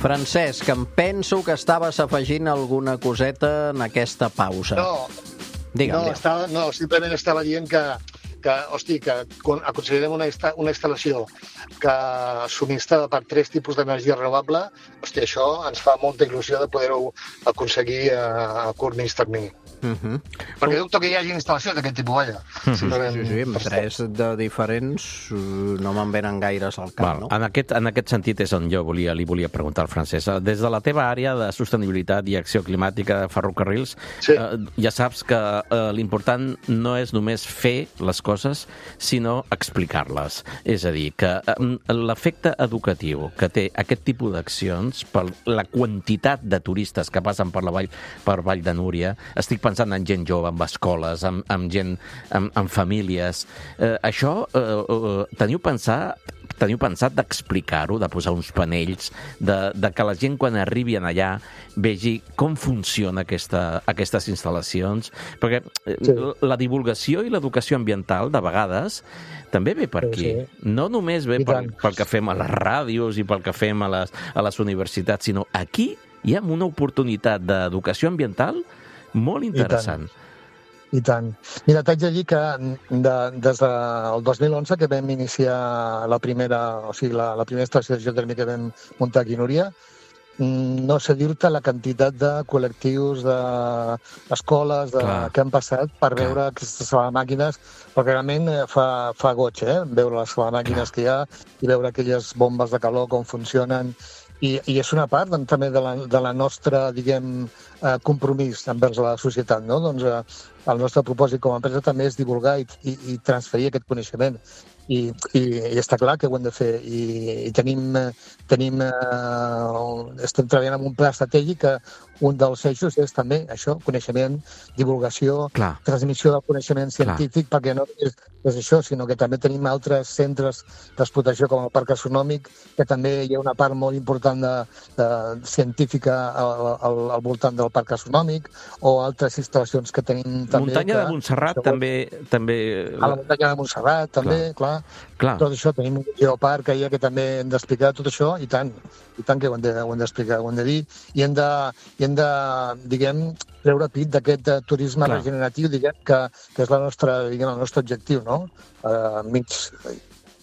Speaker 3: Francesc, em penso que estaves afegint alguna coseta en aquesta pausa.
Speaker 7: No,
Speaker 3: Digue'm,
Speaker 7: no, estava, no, simplement estava dient que, que, hosti, que aconseguirem una, una instal·lació que subministrada per tres tipus d'energia renovable, hosti, això ens fa molta il·lusió de poder-ho aconseguir a, a curt mig termini. Uh-huh. Perquè dubto que hi hagi instal·lacions d'aquest tipus, vaja.
Speaker 3: Uh-huh. Sí, sí, sí, amb tres de diferents no me'n venen gaires al cap,
Speaker 6: Val,
Speaker 3: no?
Speaker 6: En aquest, en aquest sentit és on jo volia, li volia preguntar al Francesc. Des de la teva àrea de sostenibilitat i acció climàtica de ferrocarrils, sí. eh, ja saps que eh, l'important no és només fer les coses, sinó explicar-les. És a dir, que eh, l'efecte educatiu que té aquest tipus d'accions per la quantitat de turistes que passen per la vall, per Vall de Núria, estic pensant en gent jove, en escoles, en, en gent, en, en famílies. Eh, això, eh, eh, teniu pensat, teniu pensat d'explicar-ho, de posar uns panells, de, de que la gent quan arribi allà vegi com funciona aquesta, aquestes instal·lacions? Perquè sí. la divulgació i l'educació ambiental, de vegades, també ve per aquí. Sí, sí. No només ve pel, pel que fem a les ràdios i pel que fem a les, a les universitats, sinó aquí hi ha una oportunitat d'educació ambiental molt interessant.
Speaker 7: I tant. I tant. Mira, t'haig de dir que de, des del dos mil onze, que vam iniciar la primera, o sigui, la, la primera estació de geotèrmica que vam muntar aquí a Núria, no sé dir-te la quantitat de col·lectius, d'escoles, de, de, que han passat per Clar. veure aquestes màquines, perquè realment fa, fa goig, eh? Veure les màquines Clar. que hi ha i veure aquelles bombes de calor, com funcionen. I, i és una part doncs, també de la, de la nostra, diguem, eh, compromís envers la societat, no? Doncs eh, el nostre propòsit com a empresa també és divulgar i, i, i transferir aquest coneixement. I, i, i està clar que ho hem de fer. I, i tenim, tenim eh, estem treballant en un pla estratègic que un dels eixos és també això, coneixement, divulgació, Clar. transmissió del coneixement científic, Clar. perquè no és, és això, sinó que també tenim altres centres d'explotació com el Parc Astronòmic, que també hi ha una part molt important de, de científica al, al, al voltant del Parc Astronòmic, o altres instal·lacions que tenim també.
Speaker 6: Muntanya
Speaker 7: que,
Speaker 6: de Montserrat també, també...
Speaker 7: A la muntanya de Montserrat també, clar. clar. clar. Tot això, tenim un geoparc que, que també hem d'explicar tot això, i tant, i tant que ho hem d'explicar, ho hem de dir, i hem de, i hem de diguem, treure pit d'aquest turisme Clar. regeneratiu, diguem, que, que és la nostra, diguem, el nostre objectiu, no? A mig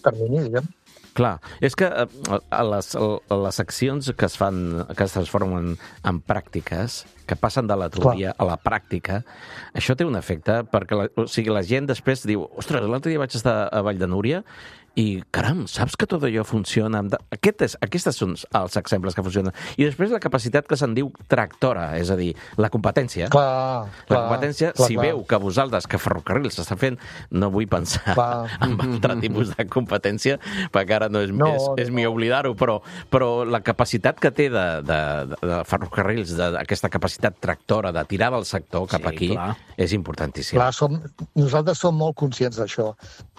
Speaker 7: termini, diguem.
Speaker 6: Clar, és que a les, a les accions que es fan, que es transformen en pràctiques, que passen de la teoria Clar. a la pràctica, això té un efecte, perquè la, o sigui, la gent després diu, ostres, l'altre dia vaig estar a Vall de Núria i, caram, saps que tot allò funciona? Aquest és, aquests són els exemples que funcionen. I després la capacitat que se'n diu tractora, és a dir, la competència.
Speaker 7: Clar,
Speaker 6: la
Speaker 7: clar,
Speaker 6: competència,
Speaker 7: clar,
Speaker 6: si
Speaker 7: clar.
Speaker 6: veu que vosaltres, que Ferrocarrils s'està fent, no vull pensar clar. en altre tipus de competència, perquè ara no és, no, és, és no. millor oblidar-ho, però, però la capacitat que té de, de, de Ferrocarrils, d'aquesta capacitat tractora, de tirar del sector cap sí, aquí, clar. és importantíssim.
Speaker 7: Clar, som, nosaltres som molt conscients d'això.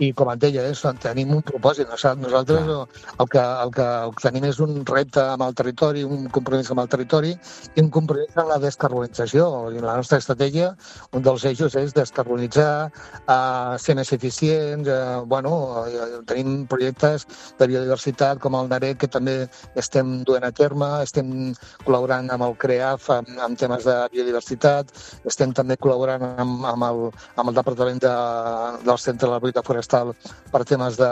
Speaker 7: I com et deia, eh, tenim un propòsit. Nosaltres el que, el, que, el que tenim és un repte amb el territori, un compromís amb el territori i un compromís amb la descarbonització. I la nostra estratègia, un dels eixos és descarbonitzar, eh, ser més eficients. Eh, bueno, eh, tenim projectes de biodiversitat com el NAREC que també estem duent a terme, estem col·laborant amb el CREAF amb, amb temes de biodiversitat, estem també col·laborant amb, amb, el, amb el Departament de, del Centre de la Propietat Forestal per temes de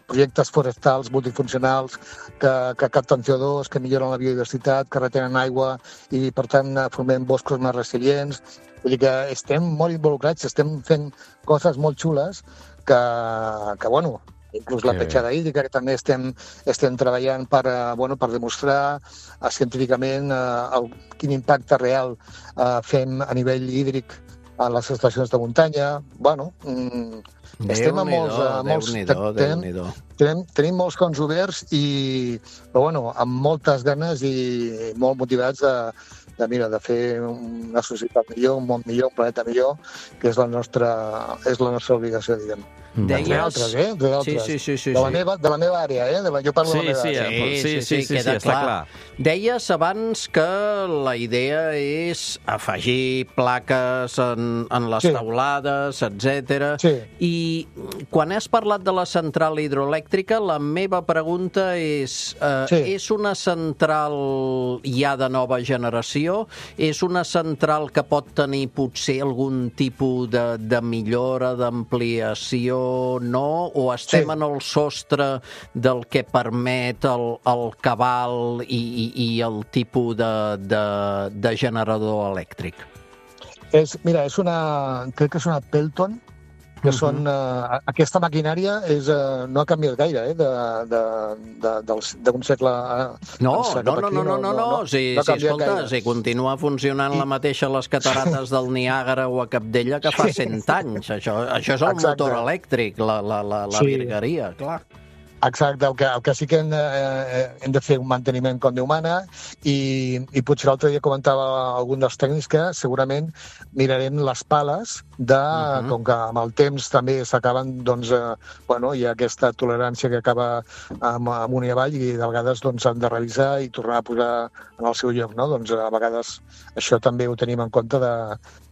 Speaker 7: projectes forestals multifuncionals que, que capten C O dos, que milloren la biodiversitat, que retenen aigua i, per tant, formem boscos més resilients. Vull dir que estem molt involucrats, estem fent coses molt xules que, que bueno, inclús la petjada hídrica, que també estem, estem treballant per, bueno, per demostrar uh, científicament uh, el, quin impacte real uh, fem a nivell hídric a les estacions de muntanya. Bueno, mm, estem a molts... A molts tenim, tenim, tenim molts cons oberts i, però, bueno, amb moltes ganes i molt motivats de, de, mira, de fer una societat millor, un món millor, un planeta millor, que és la nostra, és la nostra obligació, diguem.
Speaker 3: Deies...
Speaker 7: De altres, eh? De,
Speaker 3: sí, sí, sí, sí,
Speaker 7: de, la meva, de la meva àrea, eh? De la, jo parlo
Speaker 6: sí,
Speaker 7: de la meva
Speaker 6: sí,
Speaker 7: àrea.
Speaker 6: Sí, sí, sí, sí, sí, sí, està clar.
Speaker 3: Deies abans que la idea és afegir plaques en, en les sí. taulades, etcètera.
Speaker 7: Sí.
Speaker 3: I quan has parlat de la central hidroelèctrica, la meva pregunta és, eh, sí. és una central ja de nova generació? És una central que pot tenir potser algun tipus de, de millora, d'ampliació, no? O estem sí. en el sostre del que permet el, el cabal i, i, i el tipus de, de, de generador elèctric?
Speaker 7: És, mira, és una, crec que és una Pelton, que uh-huh. són... Uh, aquesta maquinària és, uh, no ha canviat gaire, eh, d'un segle... Uh,
Speaker 3: no, no, no, no, no, no, no, sí, no sí, escolta, gaire. Si continua funcionant I... la mateixa a les catarates del Niàgara o a Capdella que fa cent anys. Això, això és el Exacte. motor elèctric, la, la, la, la sí. virgueria, clar.
Speaker 7: Exacte, el que, el que sí que hem de, eh, hem de fer un manteniment com Déu mana i, i potser l'altre dia comentava algun dels tècnics que segurament mirarem les pales de, uh-huh. com que amb el temps també s'acaben, doncs, eh, bueno, hi ha aquesta tolerància que acaba amb, amunt i avall i de vegades doncs han de revisar i tornar a posar en el seu lloc, no? Doncs a vegades això també ho tenim en compte de,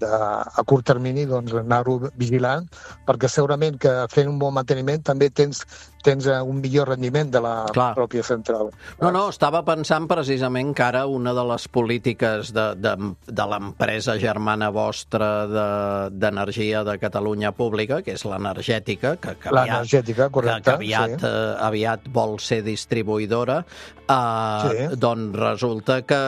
Speaker 7: de a curt termini doncs anar-ho vigilant, perquè segurament que fent un bon manteniment també tens tens un millor rendiment de la Clar. pròpia central.
Speaker 3: No, no, estava pensant precisament que ara una de les polítiques de, de, de l'empresa germana vostra d'energia de, de Catalunya Pública, que és l'energètica, que, que,
Speaker 7: l'energètica, correcte,
Speaker 3: que aviat,
Speaker 7: sí.
Speaker 3: eh, aviat vol ser distribuïdora, eh,
Speaker 7: sí.
Speaker 3: doncs resulta que,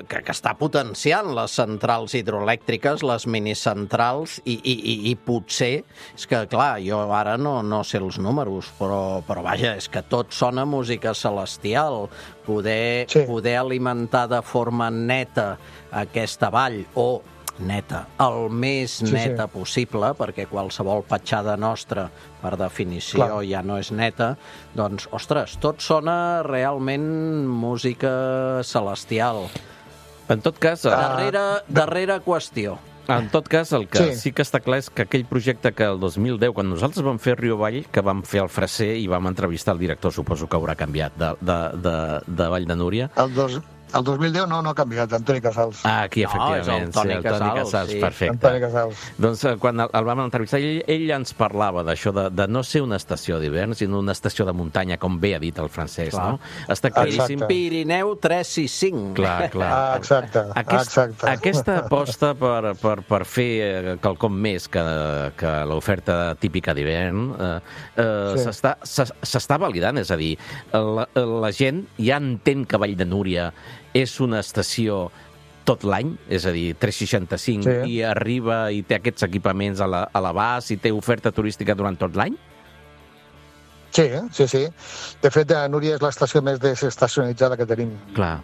Speaker 3: que, que està potenciant les centrals hidroelèctriques, les minicentrals, i, i, i, i potser, és que clar, jo ara no, no sé els números, però però vaja, és que tot sona música celestial. Poder, sí. poder alimentar de forma neta aquesta vall, o neta, el més sí, neta sí. possible, perquè qualsevol petjada nostra, per definició, Clar. ja no és neta, doncs, ostres, tot sona realment música celestial.
Speaker 6: En tot cas... Uh...
Speaker 3: Darrere, darrere qüestió.
Speaker 6: En tot cas, el que sí. sí que està clar és que aquell projecte que el dos mil deu, quan nosaltres vam fer Rio Vall, que vam fer el Freser i vam entrevistar el director, suposo que haurà canviat, de, de, de, de Vall de Núria.
Speaker 7: El dos... El dos mil deu no, no ha canviat, Antoni Casals.
Speaker 6: Ah, aquí, efectivament.
Speaker 3: No, és el Toni,
Speaker 6: sí, el
Speaker 3: Casals,
Speaker 6: Toni Casals,
Speaker 3: sí.
Speaker 6: perfecte.
Speaker 7: Antoni Casals.
Speaker 6: Doncs quan el, el vam entrevistar, ell, ell ens parlava d'això, de, de no ser una estació d'hivern, sinó una estació de muntanya, com bé ha dit el francès, clar. no? Està claríssim.
Speaker 7: Exacte.
Speaker 3: Pirineu tres sis cinc.
Speaker 6: Clar, clar.
Speaker 7: Ah, exacte,
Speaker 6: Aquest,
Speaker 7: exacte.
Speaker 6: Aquesta aposta per, per, per fer quelcom més que, que l'oferta típica d'hivern eh, eh, sí. s'està validant, és a dir, la, la gent ja entén que Vall de Núria és una estació tot l'any, és a dir, tres seixanta-cinc, sí. i arriba i té aquests equipaments a l'abast i té oferta turística durant tot l'any?
Speaker 7: Sí, sí, sí. De fet, Núria és l'estació més desestacionalitzada que tenim.
Speaker 6: Clar.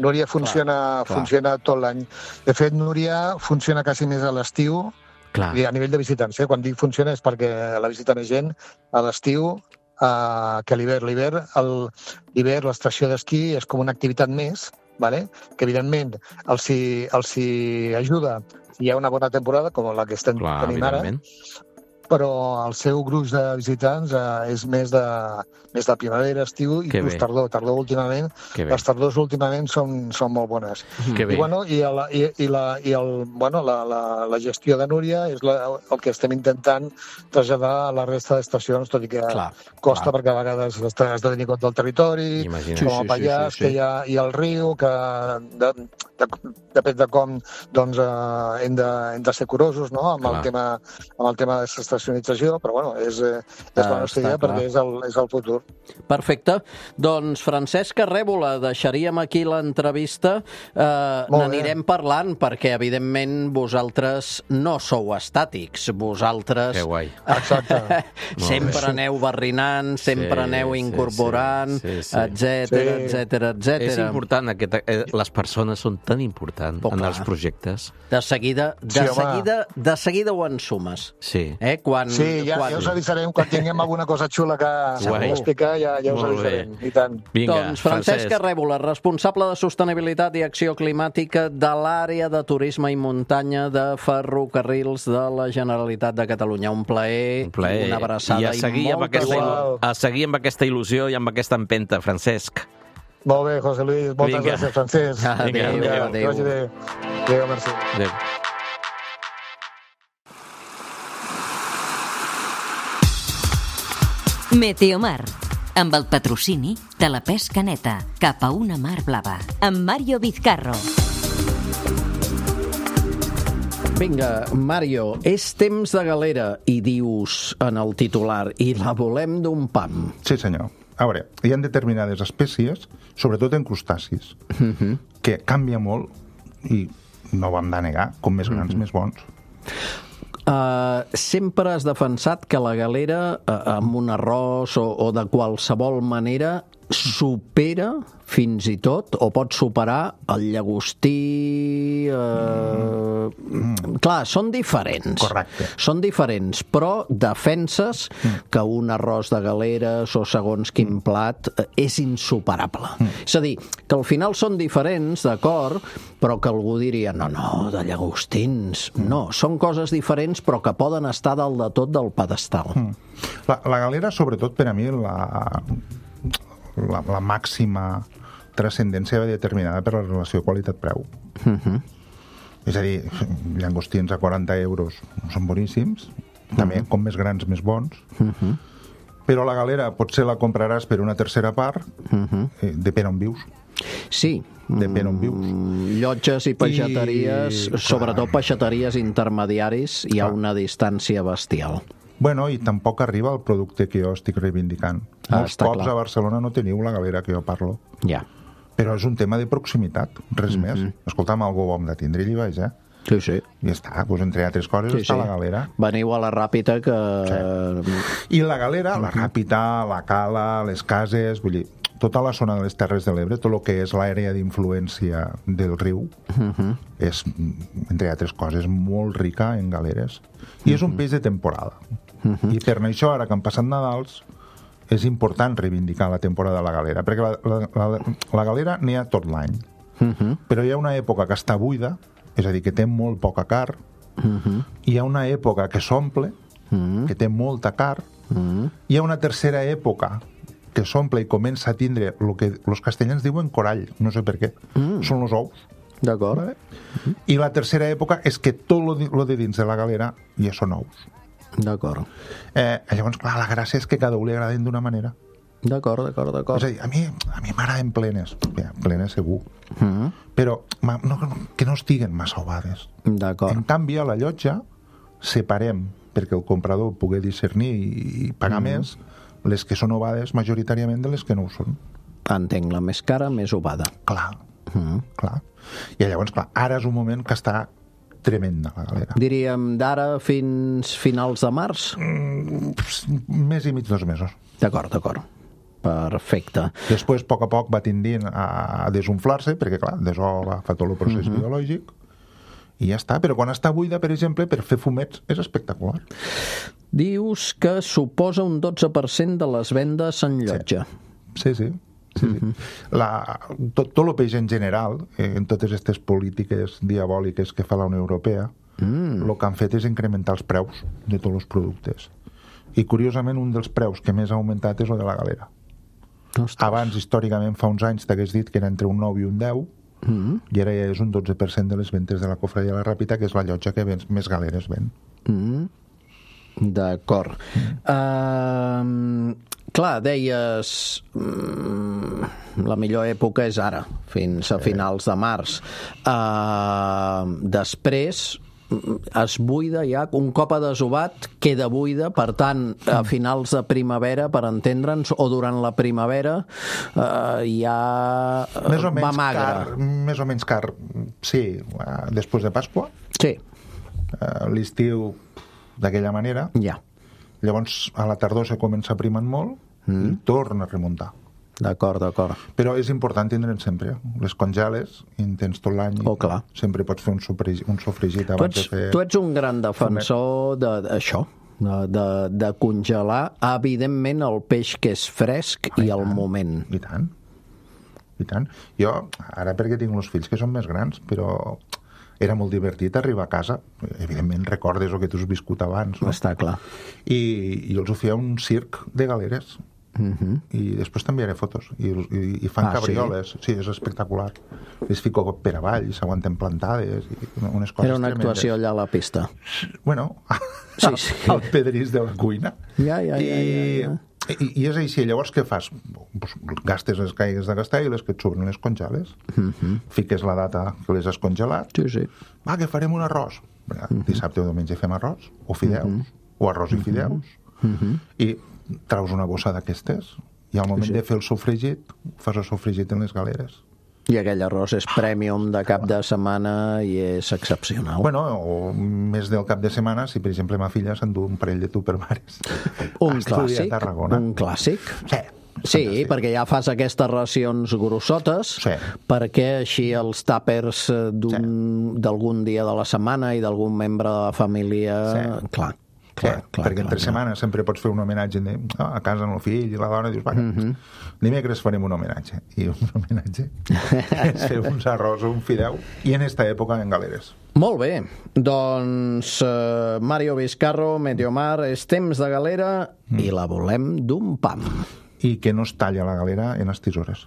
Speaker 7: Núria funciona, clar, funciona clar. tot l'any. De fet, Núria funciona quasi més a l'estiu, a nivell de visitants. Eh? Quan dic funciona és perquè la visita més gent a l'estiu Uh, que l'hivern. L'hivern, l'estació d'esquí és com una activitat més, vale? Que evidentment els hi, els hi ajuda si hi ha una bona temporada, com la que estem Clar, tenint ara, però el seu gruix de visitants eh, és més de, més de primavera, estiu i plus tardor. Tardor últimament, les tardors últimament són, són molt bones.
Speaker 6: Que bé.
Speaker 7: I, bueno, i, el, i, i, la, i el, bueno, la, la, la gestió de Núria és la, el que estem intentant traslladar a la resta d'estacions, tot i que clar, costa clar. Perquè a vegades has de tenir compte del territori, Imagina. Com a Pallars, sí, sí, sí, sí. que hi ha, hi ha el riu, que de, de, depèn de com doncs, eh, hem, de, hem de ser curosos no? amb, el tema, amb el tema de l'estacionalització, però bueno, és, és la nostra idea perquè és el, és el futur.
Speaker 3: Perfecte. Doncs, Francesc Arrèbola, deixaríem aquí l'entrevista. Eh, N'anirem parlant perquè, evidentment, vosaltres no sou estàtics. Vosaltres
Speaker 6: que guai.
Speaker 7: Exacte.
Speaker 3: sempre aneu barrinant, sempre sí, aneu incorporant, sí, sí, sí, sí. etcètera, sí. etcètera, etcètera.
Speaker 6: És important, aquest, les persones són tan importants oh, en els projectes.
Speaker 3: De seguida, de, sí, seguida, de seguida ho ensumes.
Speaker 6: Sí.
Speaker 3: Eh? Quan,
Speaker 7: sí, ja,
Speaker 3: quan...
Speaker 7: ja us avisarem, quan tinguem alguna cosa xula que explicar, ja, ja us
Speaker 6: Molt
Speaker 7: avisarem. I tant.
Speaker 6: Vinga,
Speaker 3: doncs Francesc Arrèbola, responsable de Sostenibilitat i Acció Climàtica de l'àrea de turisme i muntanya de Ferrocarrils de la Generalitat de Catalunya. Un plaer,
Speaker 6: Un plaer.
Speaker 3: una abraçada
Speaker 6: I a seguir,
Speaker 3: i
Speaker 6: amb aquesta,
Speaker 3: il·lu...
Speaker 6: a seguir amb aquesta il·lusió i amb aquesta empenta, Francesc.
Speaker 7: Molt bé, José Luis. Moltes
Speaker 6: Vinga.
Speaker 7: gràcies, Francesc.
Speaker 3: Adéu, adéu.
Speaker 7: Adéu, adéu. Adéu, merci.
Speaker 6: Adéu.
Speaker 1: Meteomar, amb el patrocini de la pesca neta cap a una mar blava, amb Mario Vizcarro.
Speaker 3: Vinga, Mario, és temps de galera, i dius en el titular, i la volem d'un pam.
Speaker 8: Sí, senyor. A veure, hi ha determinades espècies, sobretot en crustacis, uh-huh. que canvia molt, i no ho hem de negar, com més grans, uh-huh. més bons.
Speaker 3: Uh, sempre has defensat que la galera, uh, amb un arròs o, o de qualsevol manera, supera fins i tot, o pot superar el llagostí... Uh... Mm. Clar, són diferents.
Speaker 8: Correcte.
Speaker 3: Són diferents, però defenses mm. que un arròs de galeres o segons quin plat és insuperable. Mm. És a dir, que al final són diferents, d'acord, però que algú diria, no, no, de llagostins. Mm. No, són coses diferents, però que poden estar dalt de tot del pedestal. Mm.
Speaker 8: La, la galera, sobretot, per a mi, la... La, la màxima transcendència determinada per la relació qualitat-preu. Uh-huh. És a dir, llangostins a quaranta euros són boníssims, també uh-huh. com més grans, més bons, uh-huh. però la galera potser la compraràs per una tercera part, uh-huh. eh, depèn on vius.
Speaker 3: Sí.
Speaker 8: Depèn on vius.
Speaker 3: Llotges i peixateries, I... sobretot peixateries intermediaris, hi ha una distància bestial.
Speaker 8: Bueno, i tampoc arriba el producte que jo estic reivindicant.
Speaker 3: Ah,
Speaker 8: Molts cops clar. A Barcelona no teniu la galera que jo parlo.
Speaker 3: Ja.
Speaker 8: Però és un tema de proximitat, res mm-hmm. més. Escolta'm, algú ho hem de tindre i vaig, eh?
Speaker 3: Sí, sí.
Speaker 8: I està, doncs entre altres coses sí, està sí. la galera.
Speaker 3: Veniu a la Ràpita que...
Speaker 8: Sí. I la galera, mm-hmm. la Ràpita, la Cala, les cases, vull dir, tota la zona de les Terres de l'Ebre, tot el que és l'àrea d'influència del riu, mm-hmm. és, entre altres coses, molt rica en galeres. I mm-hmm. és un peix de temporada. Uh-huh. I per això, ara que han passat Nadals, és important reivindicar la temporada de la galera, perquè la, la, la, la galera n'hi ha tot l'any. Uh-huh. Però hi ha una època que està buida, és a dir, que té molt poca carn, uh-huh. hi ha una època que s'omple, uh-huh. que té molta carn, uh-huh. hi ha una tercera època que s'omple i comença a tindre el que els castellans diuen corall, no sé per què, uh-huh. són els ous.
Speaker 3: D'acord.
Speaker 8: Vale? Uh-huh. I la tercera època és que tot lo de dins de la galera ja són ous.
Speaker 3: D'acord.
Speaker 8: Eh, llavors, clar, la gràcia és que cada un li agraden d'una manera.
Speaker 3: D'acord, d'acord, d'acord.
Speaker 8: És a dir, a mi, a mi m'agraden plenes. Bé, plenes segur.
Speaker 3: Mm-hmm.
Speaker 8: Però no, que no estiguen massa ovades.
Speaker 3: D'acord.
Speaker 8: En canvi, a la llotja separem, perquè el comprador pugui discernir i pagar mm-hmm. més, les que són ovades majoritàriament de les que no ho són.
Speaker 3: Entenc, la més cara, més ovada.
Speaker 8: Clar, mm-hmm. clar. I llavors, clar, ara és un moment que està tremenda, la galera.
Speaker 3: Diríem d'ara fins finals de març?
Speaker 8: Mm, més i mig dos mesos.
Speaker 3: D'acord, d'acord. Perfecte.
Speaker 8: Després, a poc a poc, va tendint a desunflar-se, perquè, clar, desola, fa tot el procés uh-huh. biològic, i ja està. Però quan està buida, per exemple, per fer fumets, és espectacular.
Speaker 3: Dius que suposa un dotze per cent de les vendes en llotja.
Speaker 8: Sí, sí. sí. Sí, sí. La, tot, tot el peix en general, eh, en totes aquestes polítiques diabòliques que fa la Unió Europea, mm. el que han fet és incrementar els preus de tots els productes. I, curiosament, un dels preus que més ha augmentat és el de la galera. Ostres. Abans, històricament, fa uns anys, t'hagués dit que era entre un nou i un deu, mm. i ara ja és un dotze per cent de les ventes de la Cofradia de la Ràpita, que és la llotja que vens, més galeres ven.
Speaker 3: Mm. D'acord. Mm. Uh, clar, deies mm, la millor època és ara, fins a finals de març. Uh, després es buida ja, un cop adesovat queda buida, per tant a finals de primavera, per entendre'ns, o durant la primavera uh, ja
Speaker 8: més o
Speaker 3: va
Speaker 8: menys
Speaker 3: magre.
Speaker 8: Car, més o menys car, sí, uh, després de Pasqua.
Speaker 3: Sí.
Speaker 8: Uh, l'estiu d'aquella manera,
Speaker 3: ja.
Speaker 8: Llavors a la tardor se comença primant molt mm. i torna a remuntar.
Speaker 3: D'acord, d'acord.
Speaker 8: Però és important tindre'n sempre. Les congeles, i en tens tot l'any,
Speaker 3: oh, clar.
Speaker 8: Sempre pots fer un sofregit, un sofregit abans
Speaker 3: tu ets,
Speaker 8: de fer...
Speaker 3: Tu ets un gran defensor d'això, de, de, de congelar, evidentment, el peix que és fresc ah, i, i al moment.
Speaker 8: I tant, i tant. Jo, ara perquè tinc els fills que són més grans, però... era molt divertit arribar a casa. Evidentment recordes el que tu has viscut abans, no?
Speaker 3: Està clar.
Speaker 8: I, i els ho feia un circ de galeres. Uh-huh. I després t'enviaré fotos. I, i, i fan ah, cabrioles. Sí? Sí, és espectacular. Les fico per avall, s'aguanten plantades, i unes coses
Speaker 3: era una
Speaker 8: tremendes.
Speaker 3: Actuació allà a la pista.
Speaker 8: Bueno,
Speaker 3: sí, sí.
Speaker 8: al pedrís de la cuina.
Speaker 3: Ja, ja,
Speaker 8: I,
Speaker 3: ja, ja, ja.
Speaker 8: I, I és així. Llavors què fas? Pues, gastes les que hagues de gastar i les que et sobren les congeles. Uh-huh. Fiques la data que les has congelat.
Speaker 3: Sí, sí.
Speaker 8: Va, que farem un arròs. Uh-huh. Dissabte o diumenge fem arròs, o fideus, uh-huh. o arròs i fideus. Uh-huh. I traus una bossa d'aquestes i al moment sí, sí. de fer el sofregit fas el sofregit en les galeres.
Speaker 3: I aquell arròs és premium de cap de setmana i és excepcional.
Speaker 8: Bueno, o més del cap de setmana, si per exemple ma filla s'endú un parell de tupperwares.
Speaker 3: Un clàssic, un clàssic.
Speaker 8: Sí.
Speaker 3: Sí, fantàstic. Perquè ja fas aquestes racions grossotes,
Speaker 8: sí.
Speaker 3: perquè així els tàpers d'algun sí. dia de la setmana i d'algun membre de la família... Sí. Clar. Clar,
Speaker 8: sí,
Speaker 3: clar,
Speaker 8: perquè
Speaker 3: clar,
Speaker 8: entre clar. setmanes sempre pots fer un homenatge de, oh, a casa amb el fill i la dona, dius, va, mm-hmm. dimecres farem un homenatge. I un homenatge és fer uns arròs o un fideu, i en esta època en galeres.
Speaker 3: Molt bé, doncs uh, Mario Vizcarro, Meteomar, és temps de galera mm. i la volem d'un pam.
Speaker 8: I que no es talla la galera en les tisores.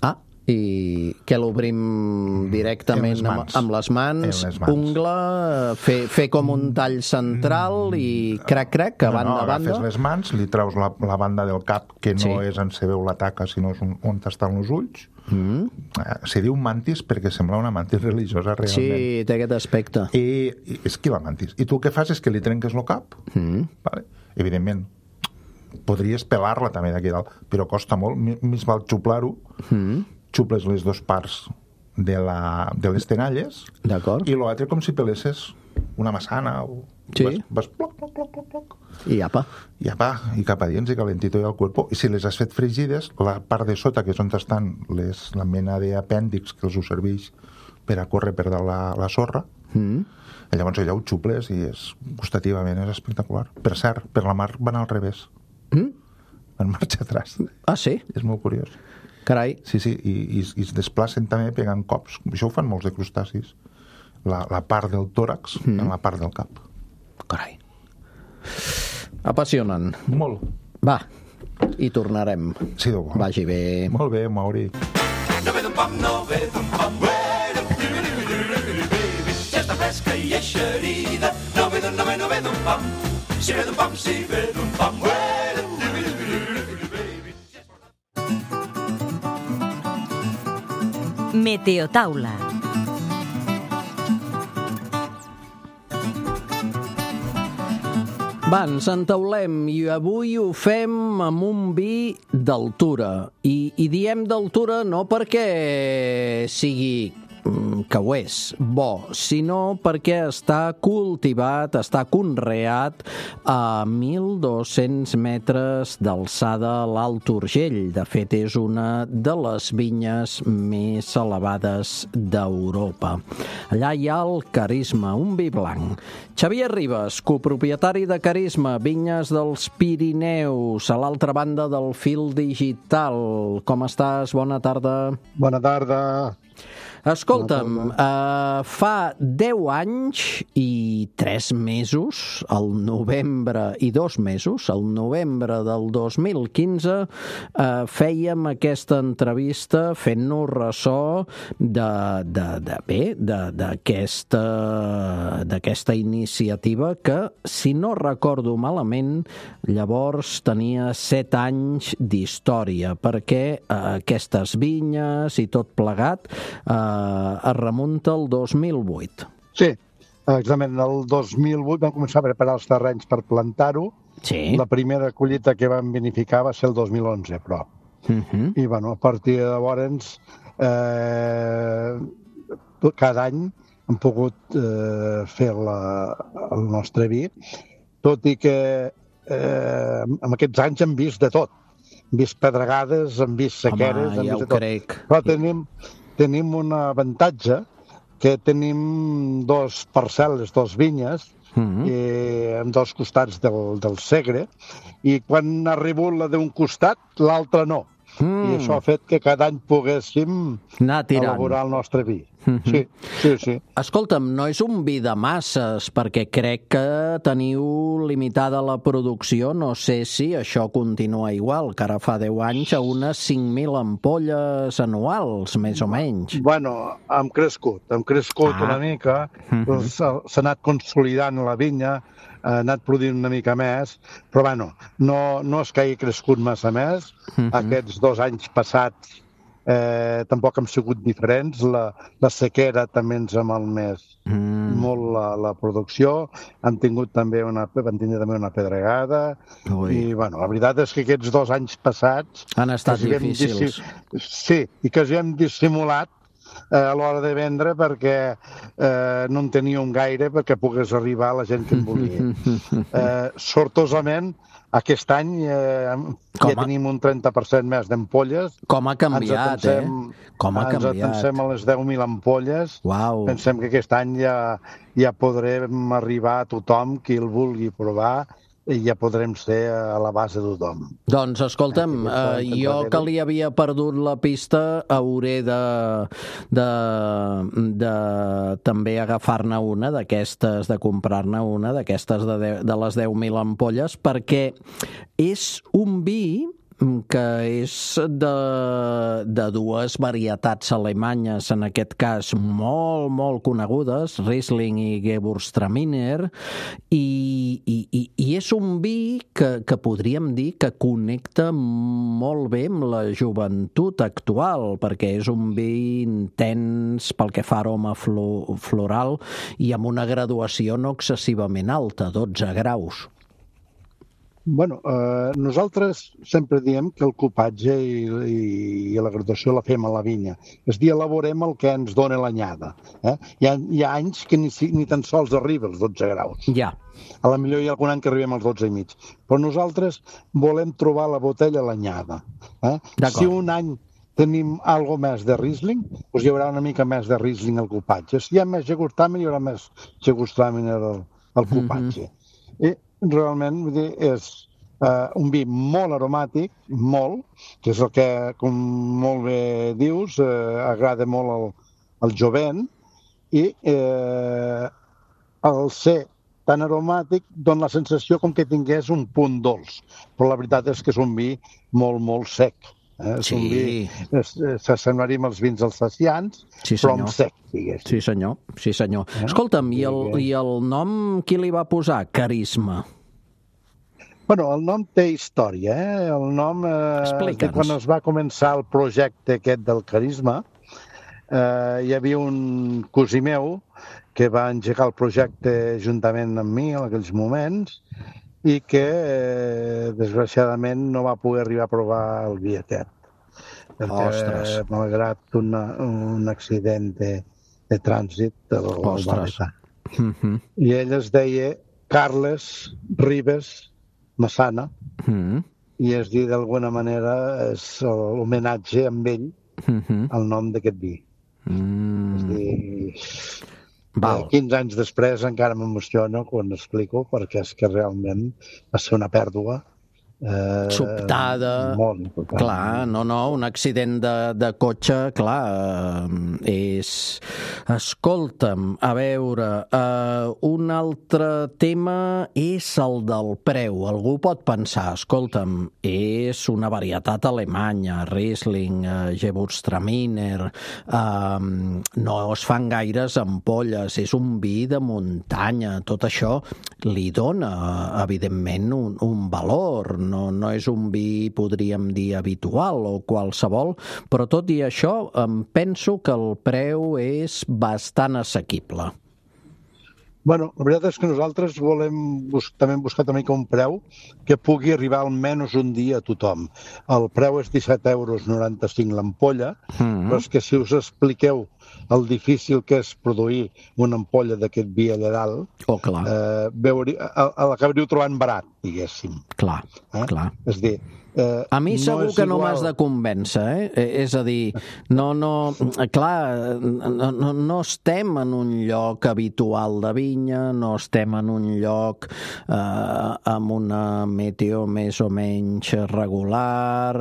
Speaker 3: Ah, i que l'obrim directament amb, amb les mans, les mans. Ungla, fer, fer com un tall central i crac, crac, a banda
Speaker 8: no, no,
Speaker 3: a banda.
Speaker 8: Agafes les mans, li treus la, la banda del cap, que no sí. és on se veu la taca, sinó és on, on estan els ulls. Mm. Eh, se diu mantis perquè sembla una mantis religiosa realment.
Speaker 3: Sí, té aquest aspecte.
Speaker 8: I, i és que la mantis. I tu el que fas és que li trenques el cap, mm. vale? Evidentment, podries pelar-la també d'aquí dalt, però costa molt, més val xuplar-ho, mm. xuples les dues parts de, la, de les tenalles
Speaker 3: i
Speaker 8: l'altre com si pelesses una massana o
Speaker 3: sí.
Speaker 8: vas, vas ploc, ploc, ploc, ploc, ploc.
Speaker 3: I apa.
Speaker 8: I apa, i cap a dins i calentito i al cuerpo. I si les has fet fregides, la part de sota, que és on estan les, la mena d'apèndix que els ho serveix per a córrer per dalt la, la sorra, mm. llavors allà ho xuples i és, gustativament és espectacular. Per cert, per la mar van al revés. Mm? Van marxa atrás.
Speaker 3: Ah, sí?
Speaker 8: És molt curiós.
Speaker 3: Carai.
Speaker 8: Sí, sí, i, i, i es desplacen també pegant cops. Això ho fan molts de crustacis. La, la part del tòrax mm. en la part del cap.
Speaker 3: Carai. Apassionant.
Speaker 8: Molt.
Speaker 3: Va, hi tornarem.
Speaker 8: Sí, de bo.
Speaker 3: Vagi bé.
Speaker 8: Molt bé, Mauri.
Speaker 9: No ve d'un pam, no ve d'un pam, ja està fresca i eixerida. No ve d'un, no ve, no ve d'un pam. Si ve d'un pam, si ve d'un pam,
Speaker 1: Meteotaula.
Speaker 3: Va, ens entaulem i avui ho fem amb un vi d'altura. I, i diem d'altura no perquè sigui que ho és bo, sinó perquè està cultivat, està conreat a mil dos-cents metres d'alçada a l'Alt Urgell. De fet, és una de les vinyes més elevades d'Europa. Allà hi ha el Carisma, un vi blanc. Xavier Ribas, copropietari de Carisma, vinyes dels Pirineus, a l'altra banda del fil digital. Com estàs? Bona tarda.
Speaker 10: Bona tarda.
Speaker 3: Escolta'm, uh, fa deu anys i tres mesos, el novembre i dos mesos, el novembre del dos mil quinze, uh, fèiem aquesta entrevista fent-nos ressò de, de, de, bé, d'aquesta d'aquesta iniciativa que, si no recordo malament, llavors tenia set anys d'història, perquè uh, aquestes vinyes i tot plegat Uh, es remunta al dos mil vuit.
Speaker 10: Sí, exactament. El dos mil vuit vam començar a preparar els terrenys per plantar-ho.
Speaker 3: Sí.
Speaker 10: La primera collita que vam vinificar va ser el dos mil onze, però. Uh-huh. I, bueno, a partir de llavors, eh, cada any hem pogut eh, fer la, el nostre vi, tot i que eh, en aquests anys hem vist de tot. Hem vist pedregades, hem vist sequeres...
Speaker 3: Home,
Speaker 10: hem
Speaker 3: ja
Speaker 10: vist
Speaker 3: ho crec.
Speaker 10: Però tenim... Tenim un avantatge, que tenim dos parcel·les, dos vinyes, mm-hmm. i, en dos costats del, del Segre, i quan ha arribat la d'un costat, l'altre no. Mm. I això ha fet que cada any poguéssim elaborar el nostre vi. Mm-hmm. Sí, sí, sí.
Speaker 3: Escolta'm, no és un vi de masses, perquè crec que teniu limitada la producció, no sé si això continua igual, que ara fa deu anys a unes cinc mil ampolles anuals, més o menys.
Speaker 10: Bueno, hem crescut, hem crescut ah. una mica, mm-hmm. doncs, s'ha anat consolidant la vinya, ha anat produint una mica més, però bueno, no, no és que hagi crescut massa més. Mm-hmm. Aquests dos anys passats eh, tampoc han sigut diferents. La, la sequera també ens ha malmès mm. molt la, la producció. Han tingut també una, van tenir també una pedregada. Ui. I bueno, la veritat és que aquests dos anys passats
Speaker 3: han estat difícils.
Speaker 10: Sí, i que els hem dissimulat a l'hora de vendre perquè eh, no en teníem gaire perquè pogués arribar a la gent que en volia. Eh, sortosament, aquest any eh, ja a... tenim un trenta per cent més d'ampolles.
Speaker 3: Com ha canviat,
Speaker 10: ens atensem,
Speaker 3: eh? Com ha
Speaker 10: ens
Speaker 3: canviat.
Speaker 10: Ens atensem a les deu mil ampolles.
Speaker 3: Uau.
Speaker 10: Pensem que aquest any ja, ja podrem arribar a tothom qui el vulgui provar i ja podrem ser a la base de tothom.
Speaker 3: Doncs, escolta'm, eh, jo que li havia perdut la pista hauré de, de, de també agafar-ne una d'aquestes, de comprar-ne una d'aquestes de, de, de les deu mil ampolles, perquè és un vi que és de, de dues varietats alemanyes, en aquest cas molt, molt conegudes, Riesling i Gewürztraminer, i, i, i és un vi que, que podríem dir que connecta molt bé amb la joventut actual, perquè és un vi intens pel que fa aroma floral i amb una graduació no excessivament alta, dotze graus.
Speaker 10: Bueno, eh, nosaltres sempre diem que el cupatge i, i, i la graduació la fem a la vinya. És a dir, elaborem el que ens dona l'anyada. Eh? Hi, ha, hi ha anys que ni, ni tan sols arriba als dotze graus.
Speaker 3: Ja.
Speaker 10: A la millor hi ha algun any que arribem als dotze i mig. Però nosaltres volem trobar la botella a l'anyada. Eh? Si un any tenim algo més de Riesling, doncs hi haurà una mica més de Riesling al cupatge. Si hi ha més Gewürztraminer, hi haurà més Gewürztraminer al, al cupatge. Mm-hmm. I realment, vull dir, és uh, un vi molt aromàtic, molt, que és el que, com molt bé dius, uh, agrada molt al, al jovent, i eh, al ser tan aromàtic dona la sensació com que tingués un punt dolç, però la veritat és que és un vi molt, molt sec. Eh? És
Speaker 3: sí.
Speaker 10: un vi, s'assemblaria als vins alsacians,
Speaker 3: sí,
Speaker 10: però amb sec, diguéssim.
Speaker 3: Sí, senyor. Sí, senyor. Eh? Escolta'm, i el, i el nom qui li va posar? Carisma.
Speaker 10: Bueno, el nom té història, eh? El nom, eh, quan es va començar el projecte aquest del Carisma, eh, hi havia un cosí meu que va engegar el projecte juntament amb mi en aquells moments i que, eh, desgraciadament, no va poder arribar a provar el vi aquest. Perquè,
Speaker 3: Ostres.
Speaker 10: malgrat una, un accident de, de trànsit, el, el va matar. Mm-hmm. I ell es deia Carles Ribes Massana, mm-hmm. i es dir d'alguna manera és l'homenatge amb ell, mm-hmm. al nom d'aquest vi. Mm. És dir, Val. quinze anys després encara m'emociono quan explico, perquè és que realment va ser una pèrdua
Speaker 3: Eh, sobtada,
Speaker 10: molt important.
Speaker 3: Clar, no, no, un accident de, de cotxe, clar, eh, és... Escolta'm, a veure, eh, un altre tema és el del preu. Algú pot pensar, escolta'm, és una varietat alemanya, Riesling, eh, Gewürztraminer, eh, no es fan gaires ampolles, és un vi de muntanya, tot això li dona, evidentment, un, un valor. No, no és un vi, podríem dir, habitual o qualsevol, però tot i això em penso que el preu és bastant assequible.
Speaker 10: Bueno, la veritat és que nosaltres volem bus- també buscar una mica un preu que pugui arribar almenys un dia a tothom. El preu és disset euros noranta-cinc l'ampolla, mm-hmm. però és que si us expliqueu el difícil que és produir una ampolla d'aquest vi allà dalt,
Speaker 3: oh, clar.
Speaker 10: Eh, veuri, l'acabaríeu trobant barat, diguéssim.
Speaker 3: Clar, eh? clar.
Speaker 10: És dir, eh,
Speaker 3: a mi segur
Speaker 10: no
Speaker 3: que no
Speaker 10: igual...
Speaker 3: m'has de convèncer, eh? És a dir, no, no, clar, no, no, no estem en un lloc habitual de vinya, no estem en un lloc eh, amb una meteo més o menys regular.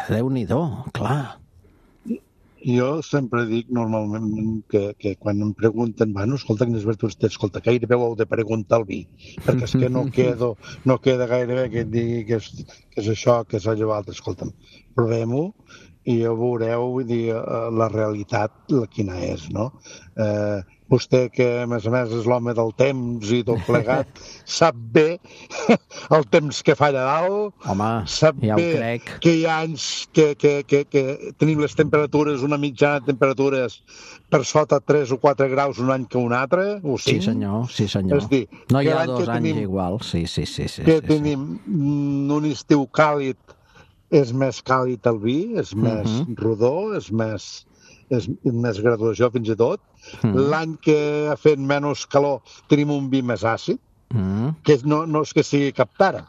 Speaker 3: Déu-n'hi-do, clar.
Speaker 10: Jo sempre dic normalment que, que quan em pregunten, bueno, escolta, quines virtuts té, escolta, gairebé ho heu de preguntar al vi, perquè és que no, quedo, no queda gairebé que et digui que és, que és això, que és allò altre. Escolta'm, provem-ho i ja veureu, vull dir, la realitat, la quina és, no? Eh, vostè, que a més a més és l'home del temps i tot plegat, sap bé el temps que fa allà dalt.
Speaker 3: Home,
Speaker 10: sap
Speaker 3: ja ho
Speaker 10: bé
Speaker 3: crec.
Speaker 10: Que hi ha anys que, que, que, que tenim les temperatures, una mitjana de temperatures per sota tres o quatre graus un any que un altre, o cinc.
Speaker 3: Sí, senyor, sí, senyor.
Speaker 10: És dir,
Speaker 3: no hi ha dos anys
Speaker 10: tenim,
Speaker 3: igual, sí, sí, sí. sí
Speaker 10: que
Speaker 3: sí,
Speaker 10: tenim
Speaker 3: sí.
Speaker 10: un estiu càlid, és més càlid el vi, és més
Speaker 3: uh-huh.
Speaker 10: rodó, és més, és més graduació fins i tot. Uh-huh. L'any que ha fet menys calor tenim un vi més àcid, uh-huh. que no, no és que sigui cap tara,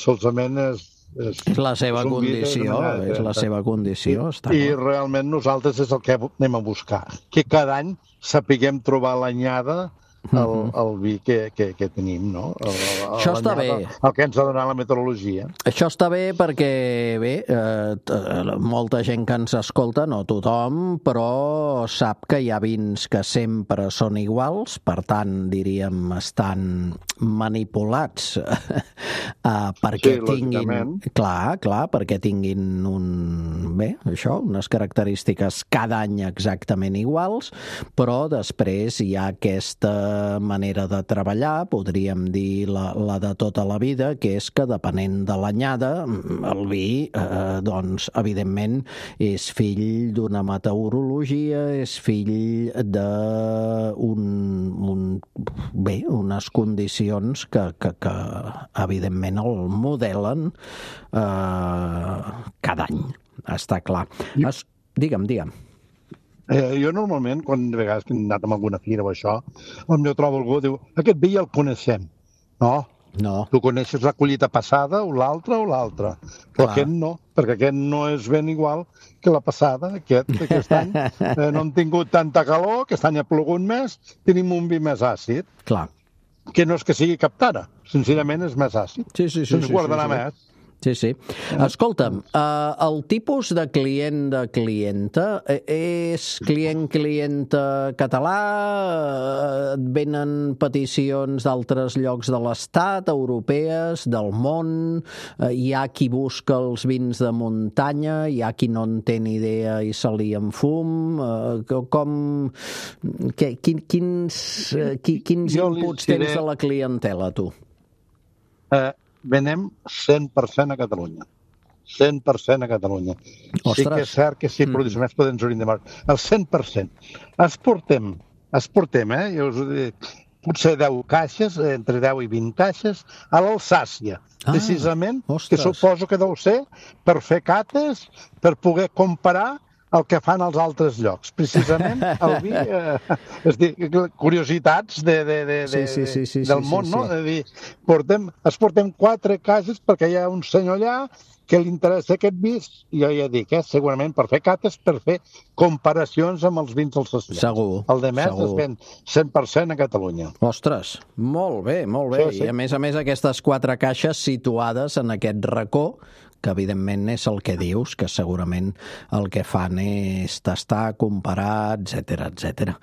Speaker 10: solament és...
Speaker 3: És, és la seva és condició, manera, és la seva condició.
Speaker 10: I, està i realment nosaltres és el que anem a buscar, que cada any sapiguem trobar l'anyada el, el vi que, que, que tenim, no? El, el,
Speaker 3: Això està bé.
Speaker 10: El que ens ha donat la meteorologia.
Speaker 3: Això està bé perquè, bé, eh, molta gent que ens escolta, no tothom, però sap que hi ha vins que sempre són iguals, per tant, diríem, estan manipulats eh, perquè sí, tinguin... Clar, clar, perquè tinguin un... Bé, això, unes característiques cada any exactament iguals, però després hi ha aquesta manera de treballar, podríem dir la, la de tota la vida, que és que depenent de l'anyada, el vi, eh, doncs, evidentment, és fill d'una meteorologia, és fill de un, un, bé, unes condicions que, que, que evidentment el modelen eh, cada any, està clar. Es, digue'm, digue'm.
Speaker 10: Eh, jo normalment, quan de vegades que he anat a alguna fira o això, on jo trobo algú, diu, aquest vi ja el coneixem. No,
Speaker 3: no.
Speaker 10: Tu coneixes la collita passada o l'altra o l'altra. Però Clar. Aquest no, perquè aquest no és ben igual que la passada. Aquest, aquest any eh, no hem tingut tanta calor, aquest any ha plogut més, tenim un vi més àcid.
Speaker 3: Clar.
Speaker 10: Que no és que sigui cap tara, sincerament és més àcid.
Speaker 3: Sí, sí, sí.
Speaker 10: Se'ns
Speaker 3: sí,
Speaker 10: guardarà
Speaker 3: sí, sí.
Speaker 10: més.
Speaker 3: Sí, sí. Escolta'm, eh, el tipus de client de clienta és client-clienta català? Et venen peticions d'altres llocs de l'Estat, europees, del món? Hi ha qui busca els vins de muntanya? Hi ha qui no en té ni idea i se li en fum? Com... Que, quin, quins quins inputs tens de la clientela, tu?
Speaker 10: Eh... Venem cent per cent a Catalunya. cent per cent a Catalunya.
Speaker 3: Ostres.
Speaker 10: Sí que és cert que si produïm més podem ens hauríem de marcar. El cent per cent. Exportem, exportem, eh? Jo us ho dic, potser deu caixes, entre deu i vint caixes, a l'Alsàcia, ah, precisament, ostres. Que suposo que deu ser per fer cates, per poder comparar el que fan als altres llocs. Precisament el vi, eh, és dir, curiositats de, de, de, de, sí, sí, sí, sí, del món, sí, sí, no? Sí. De dir, portem, es portem quatre cases perquè hi ha un senyor allà que li interessa aquest vi, i jo ja dic, eh, segurament per fer cates, per fer comparacions amb els vins dels associats.
Speaker 3: Segur.
Speaker 10: El de més es ven cent per cent a Catalunya.
Speaker 3: Ostres, molt bé, molt bé. Sí, sí. I a més a més aquestes quatre caixes situades en aquest racó, que evidentment és el que dius, que segurament el que fan és tastar, comparar, etcètera, etcètera.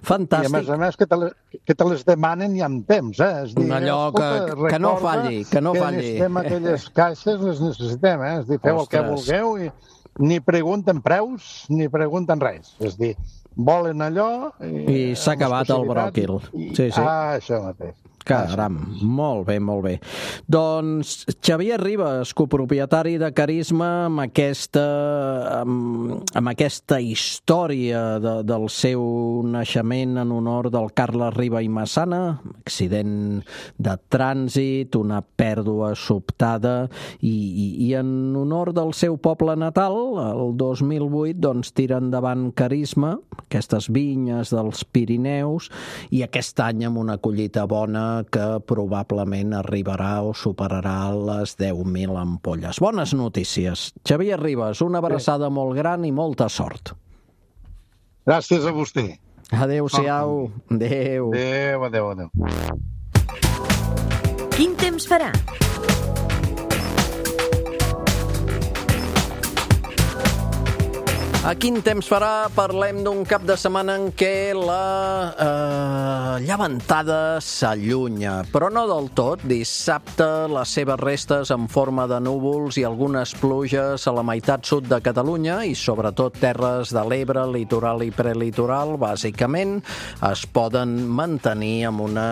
Speaker 3: Fantàstic.
Speaker 10: I a més a més que te, les, que te les demanen i amb temps, eh? És dir,
Speaker 3: allò que, que no falli, que no
Speaker 10: que
Speaker 3: falli.
Speaker 10: Que necessitem aquelles caixes, les necessitem, eh? És dir, feu Ostres. El que vulgueu i ni pregunten preus, ni pregunten res. És dir, volen allò... I,
Speaker 3: I s'ha acabat el bròquil.
Speaker 10: I,
Speaker 3: sí, sí.
Speaker 10: Ah, això mateix.
Speaker 3: Caram, molt bé, molt bé. Doncs Xavier Ribas, copropietari de Carisma, amb aquesta, amb, amb aquesta història de, del seu naixement en honor del Carles Riba i Massana, accident de trànsit, una pèrdua sobtada, i, i, i en honor del seu poble natal, el dos mil vuit, doncs tira endavant Carisma, aquestes vinyes dels Pirineus, i aquest any amb una collita bona que probablement arribarà o superarà les deu mil ampolles. Bones notícies. Xavier Ribas, una abraçada molt gran i molta sort.
Speaker 10: Gràcies a vostè.
Speaker 3: Adéu-siau. Adéu.
Speaker 10: Adéu, adéu, adéu.
Speaker 1: Quin temps farà?
Speaker 3: A quin temps farà? Parlem d'un cap de setmana en què la eh, llevantada s'allunya, però no del tot. Dissabte les seves restes en forma de núvols i algunes pluges a la meitat sud de Catalunya i sobretot terres de l'Ebre, litoral i prelitoral, bàsicament, es poden mantenir amb una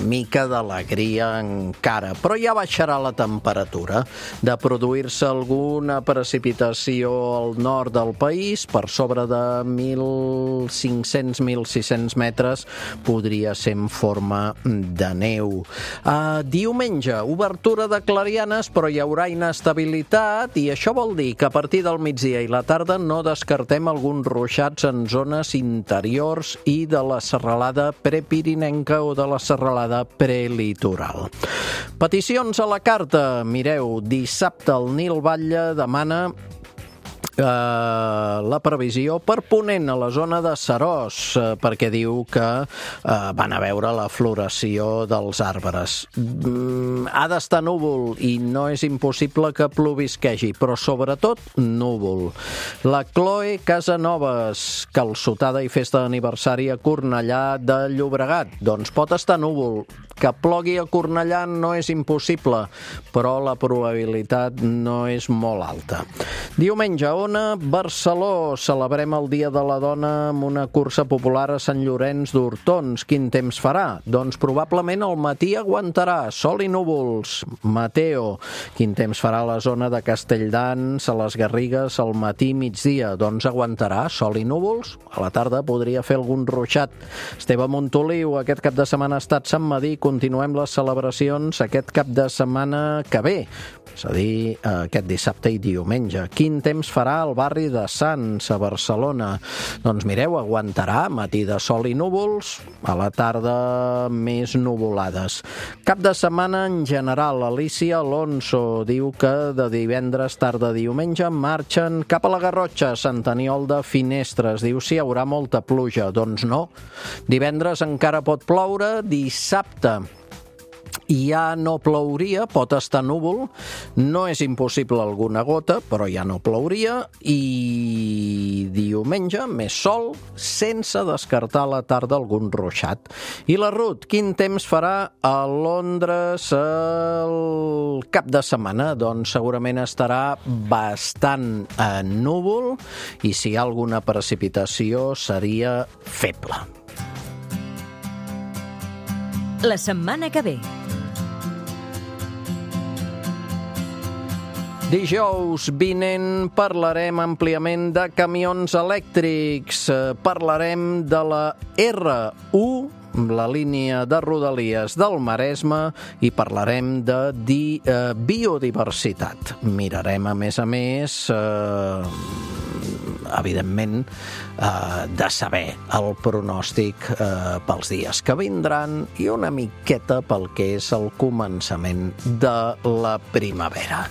Speaker 3: mica d'alegria encara, però ja baixarà la temperatura. De produir-se alguna precipitació al nord del país, per sobre de mil cinc-cents a mil sis-cents metres, podria ser en forma de neu. Uh, diumenge, obertura de clarianes, però hi haurà inestabilitat, i això vol dir que a partir del migdia i la tarda no descartem alguns ruixats en zones interiors i de la serralada prepirinenca o de la serralada prelitoral. Peticions a la carta. Mireu, dissabte el Nil Batlle demana Uh, la previsió per ponent a la zona de Seròs, uh, perquè diu que uh, van a veure la floració dels arbres. Mm, ha d'estar núvol i no és impossible que plovisquegi, però sobretot núvol. La Chloe Casanovas, calçotada i festa d'aniversari a Cornellà de Llobregat. Doncs pot estar núvol. Que plogui a Cornellà no és impossible, però la probabilitat no és molt alta. Diumenge, Ona, Barceló. Celebrem el Dia de la Dona amb una cursa popular a Sant Llorenç d'Hortons. Quin temps farà? Doncs probablement al matí aguantarà. Sol i núvols. Mateo. Quin temps farà a la zona de Castelldans, a les Garrigues, al matí i migdia? Doncs aguantarà. Sol i núvols. A la tarda podria fer algun ruixat. Esteve Montoliu, aquest cap de setmana ha estat Sant Madí. Continuem les celebracions aquest cap de setmana que ve, és a dir, aquest dissabte i diumenge. Quin temps farà al barri de Sants, a Barcelona? Doncs mireu, aguantarà, matí de sol i núvols, a la tarda més nuvolades. Cap de setmana en general. Alicia Alonso diu que de divendres, tarda, diumenge, marxen cap a la Garrotxa, Sant Aniol de Finestres. Diu si hi haurà molta pluja. Doncs no. Divendres encara pot ploure, dissabte ja no plouria, pot estar núvol, no és impossible alguna gota, però ja no plouria, i diumenge més sol, sense descartar a la tarda algun ruixat. I la Ruth, quin temps farà a Londres el cap de setmana? Doncs segurament estarà bastant eh, núvol, i si hi ha alguna precipitació seria feble.
Speaker 1: La setmana que ve.
Speaker 3: Dijous vinent parlarem àmpliament de camions elèctrics, parlarem de la erre u, la línia de Rodalies del Maresme, i parlarem de di, eh, biodiversitat. Mirarem, a més a més, eh, evidentment, eh, de saber el pronòstic eh, pels dies que vindran i una miqueta pel que és el començament de la primavera.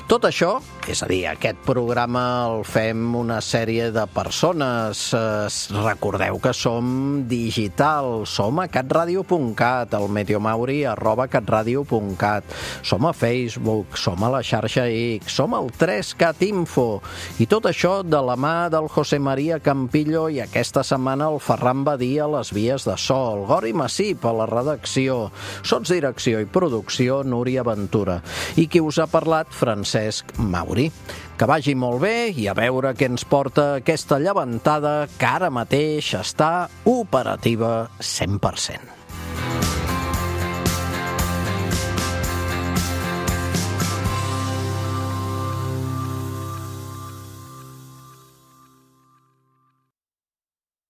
Speaker 3: Tot això, és a dir, aquest programa el fem una sèrie de persones. Eh, recordeu que som digital, som a catradio punt cat, al meteomauri arroba catradio punt cat, som a Facebook, som a la xarxa X, som al tres cat info, i tot això de la mà del José María Campillo i aquesta setmana el Ferran Badia a les vies de so, el Gori Massip a la redacció, sotsdirecció i producció Núria Ventura, i qui us ha parlat, Francesc Mauri. Que vagi molt bé i a veure què ens porta aquesta llevantada que ara mateix està operativa cent per cent.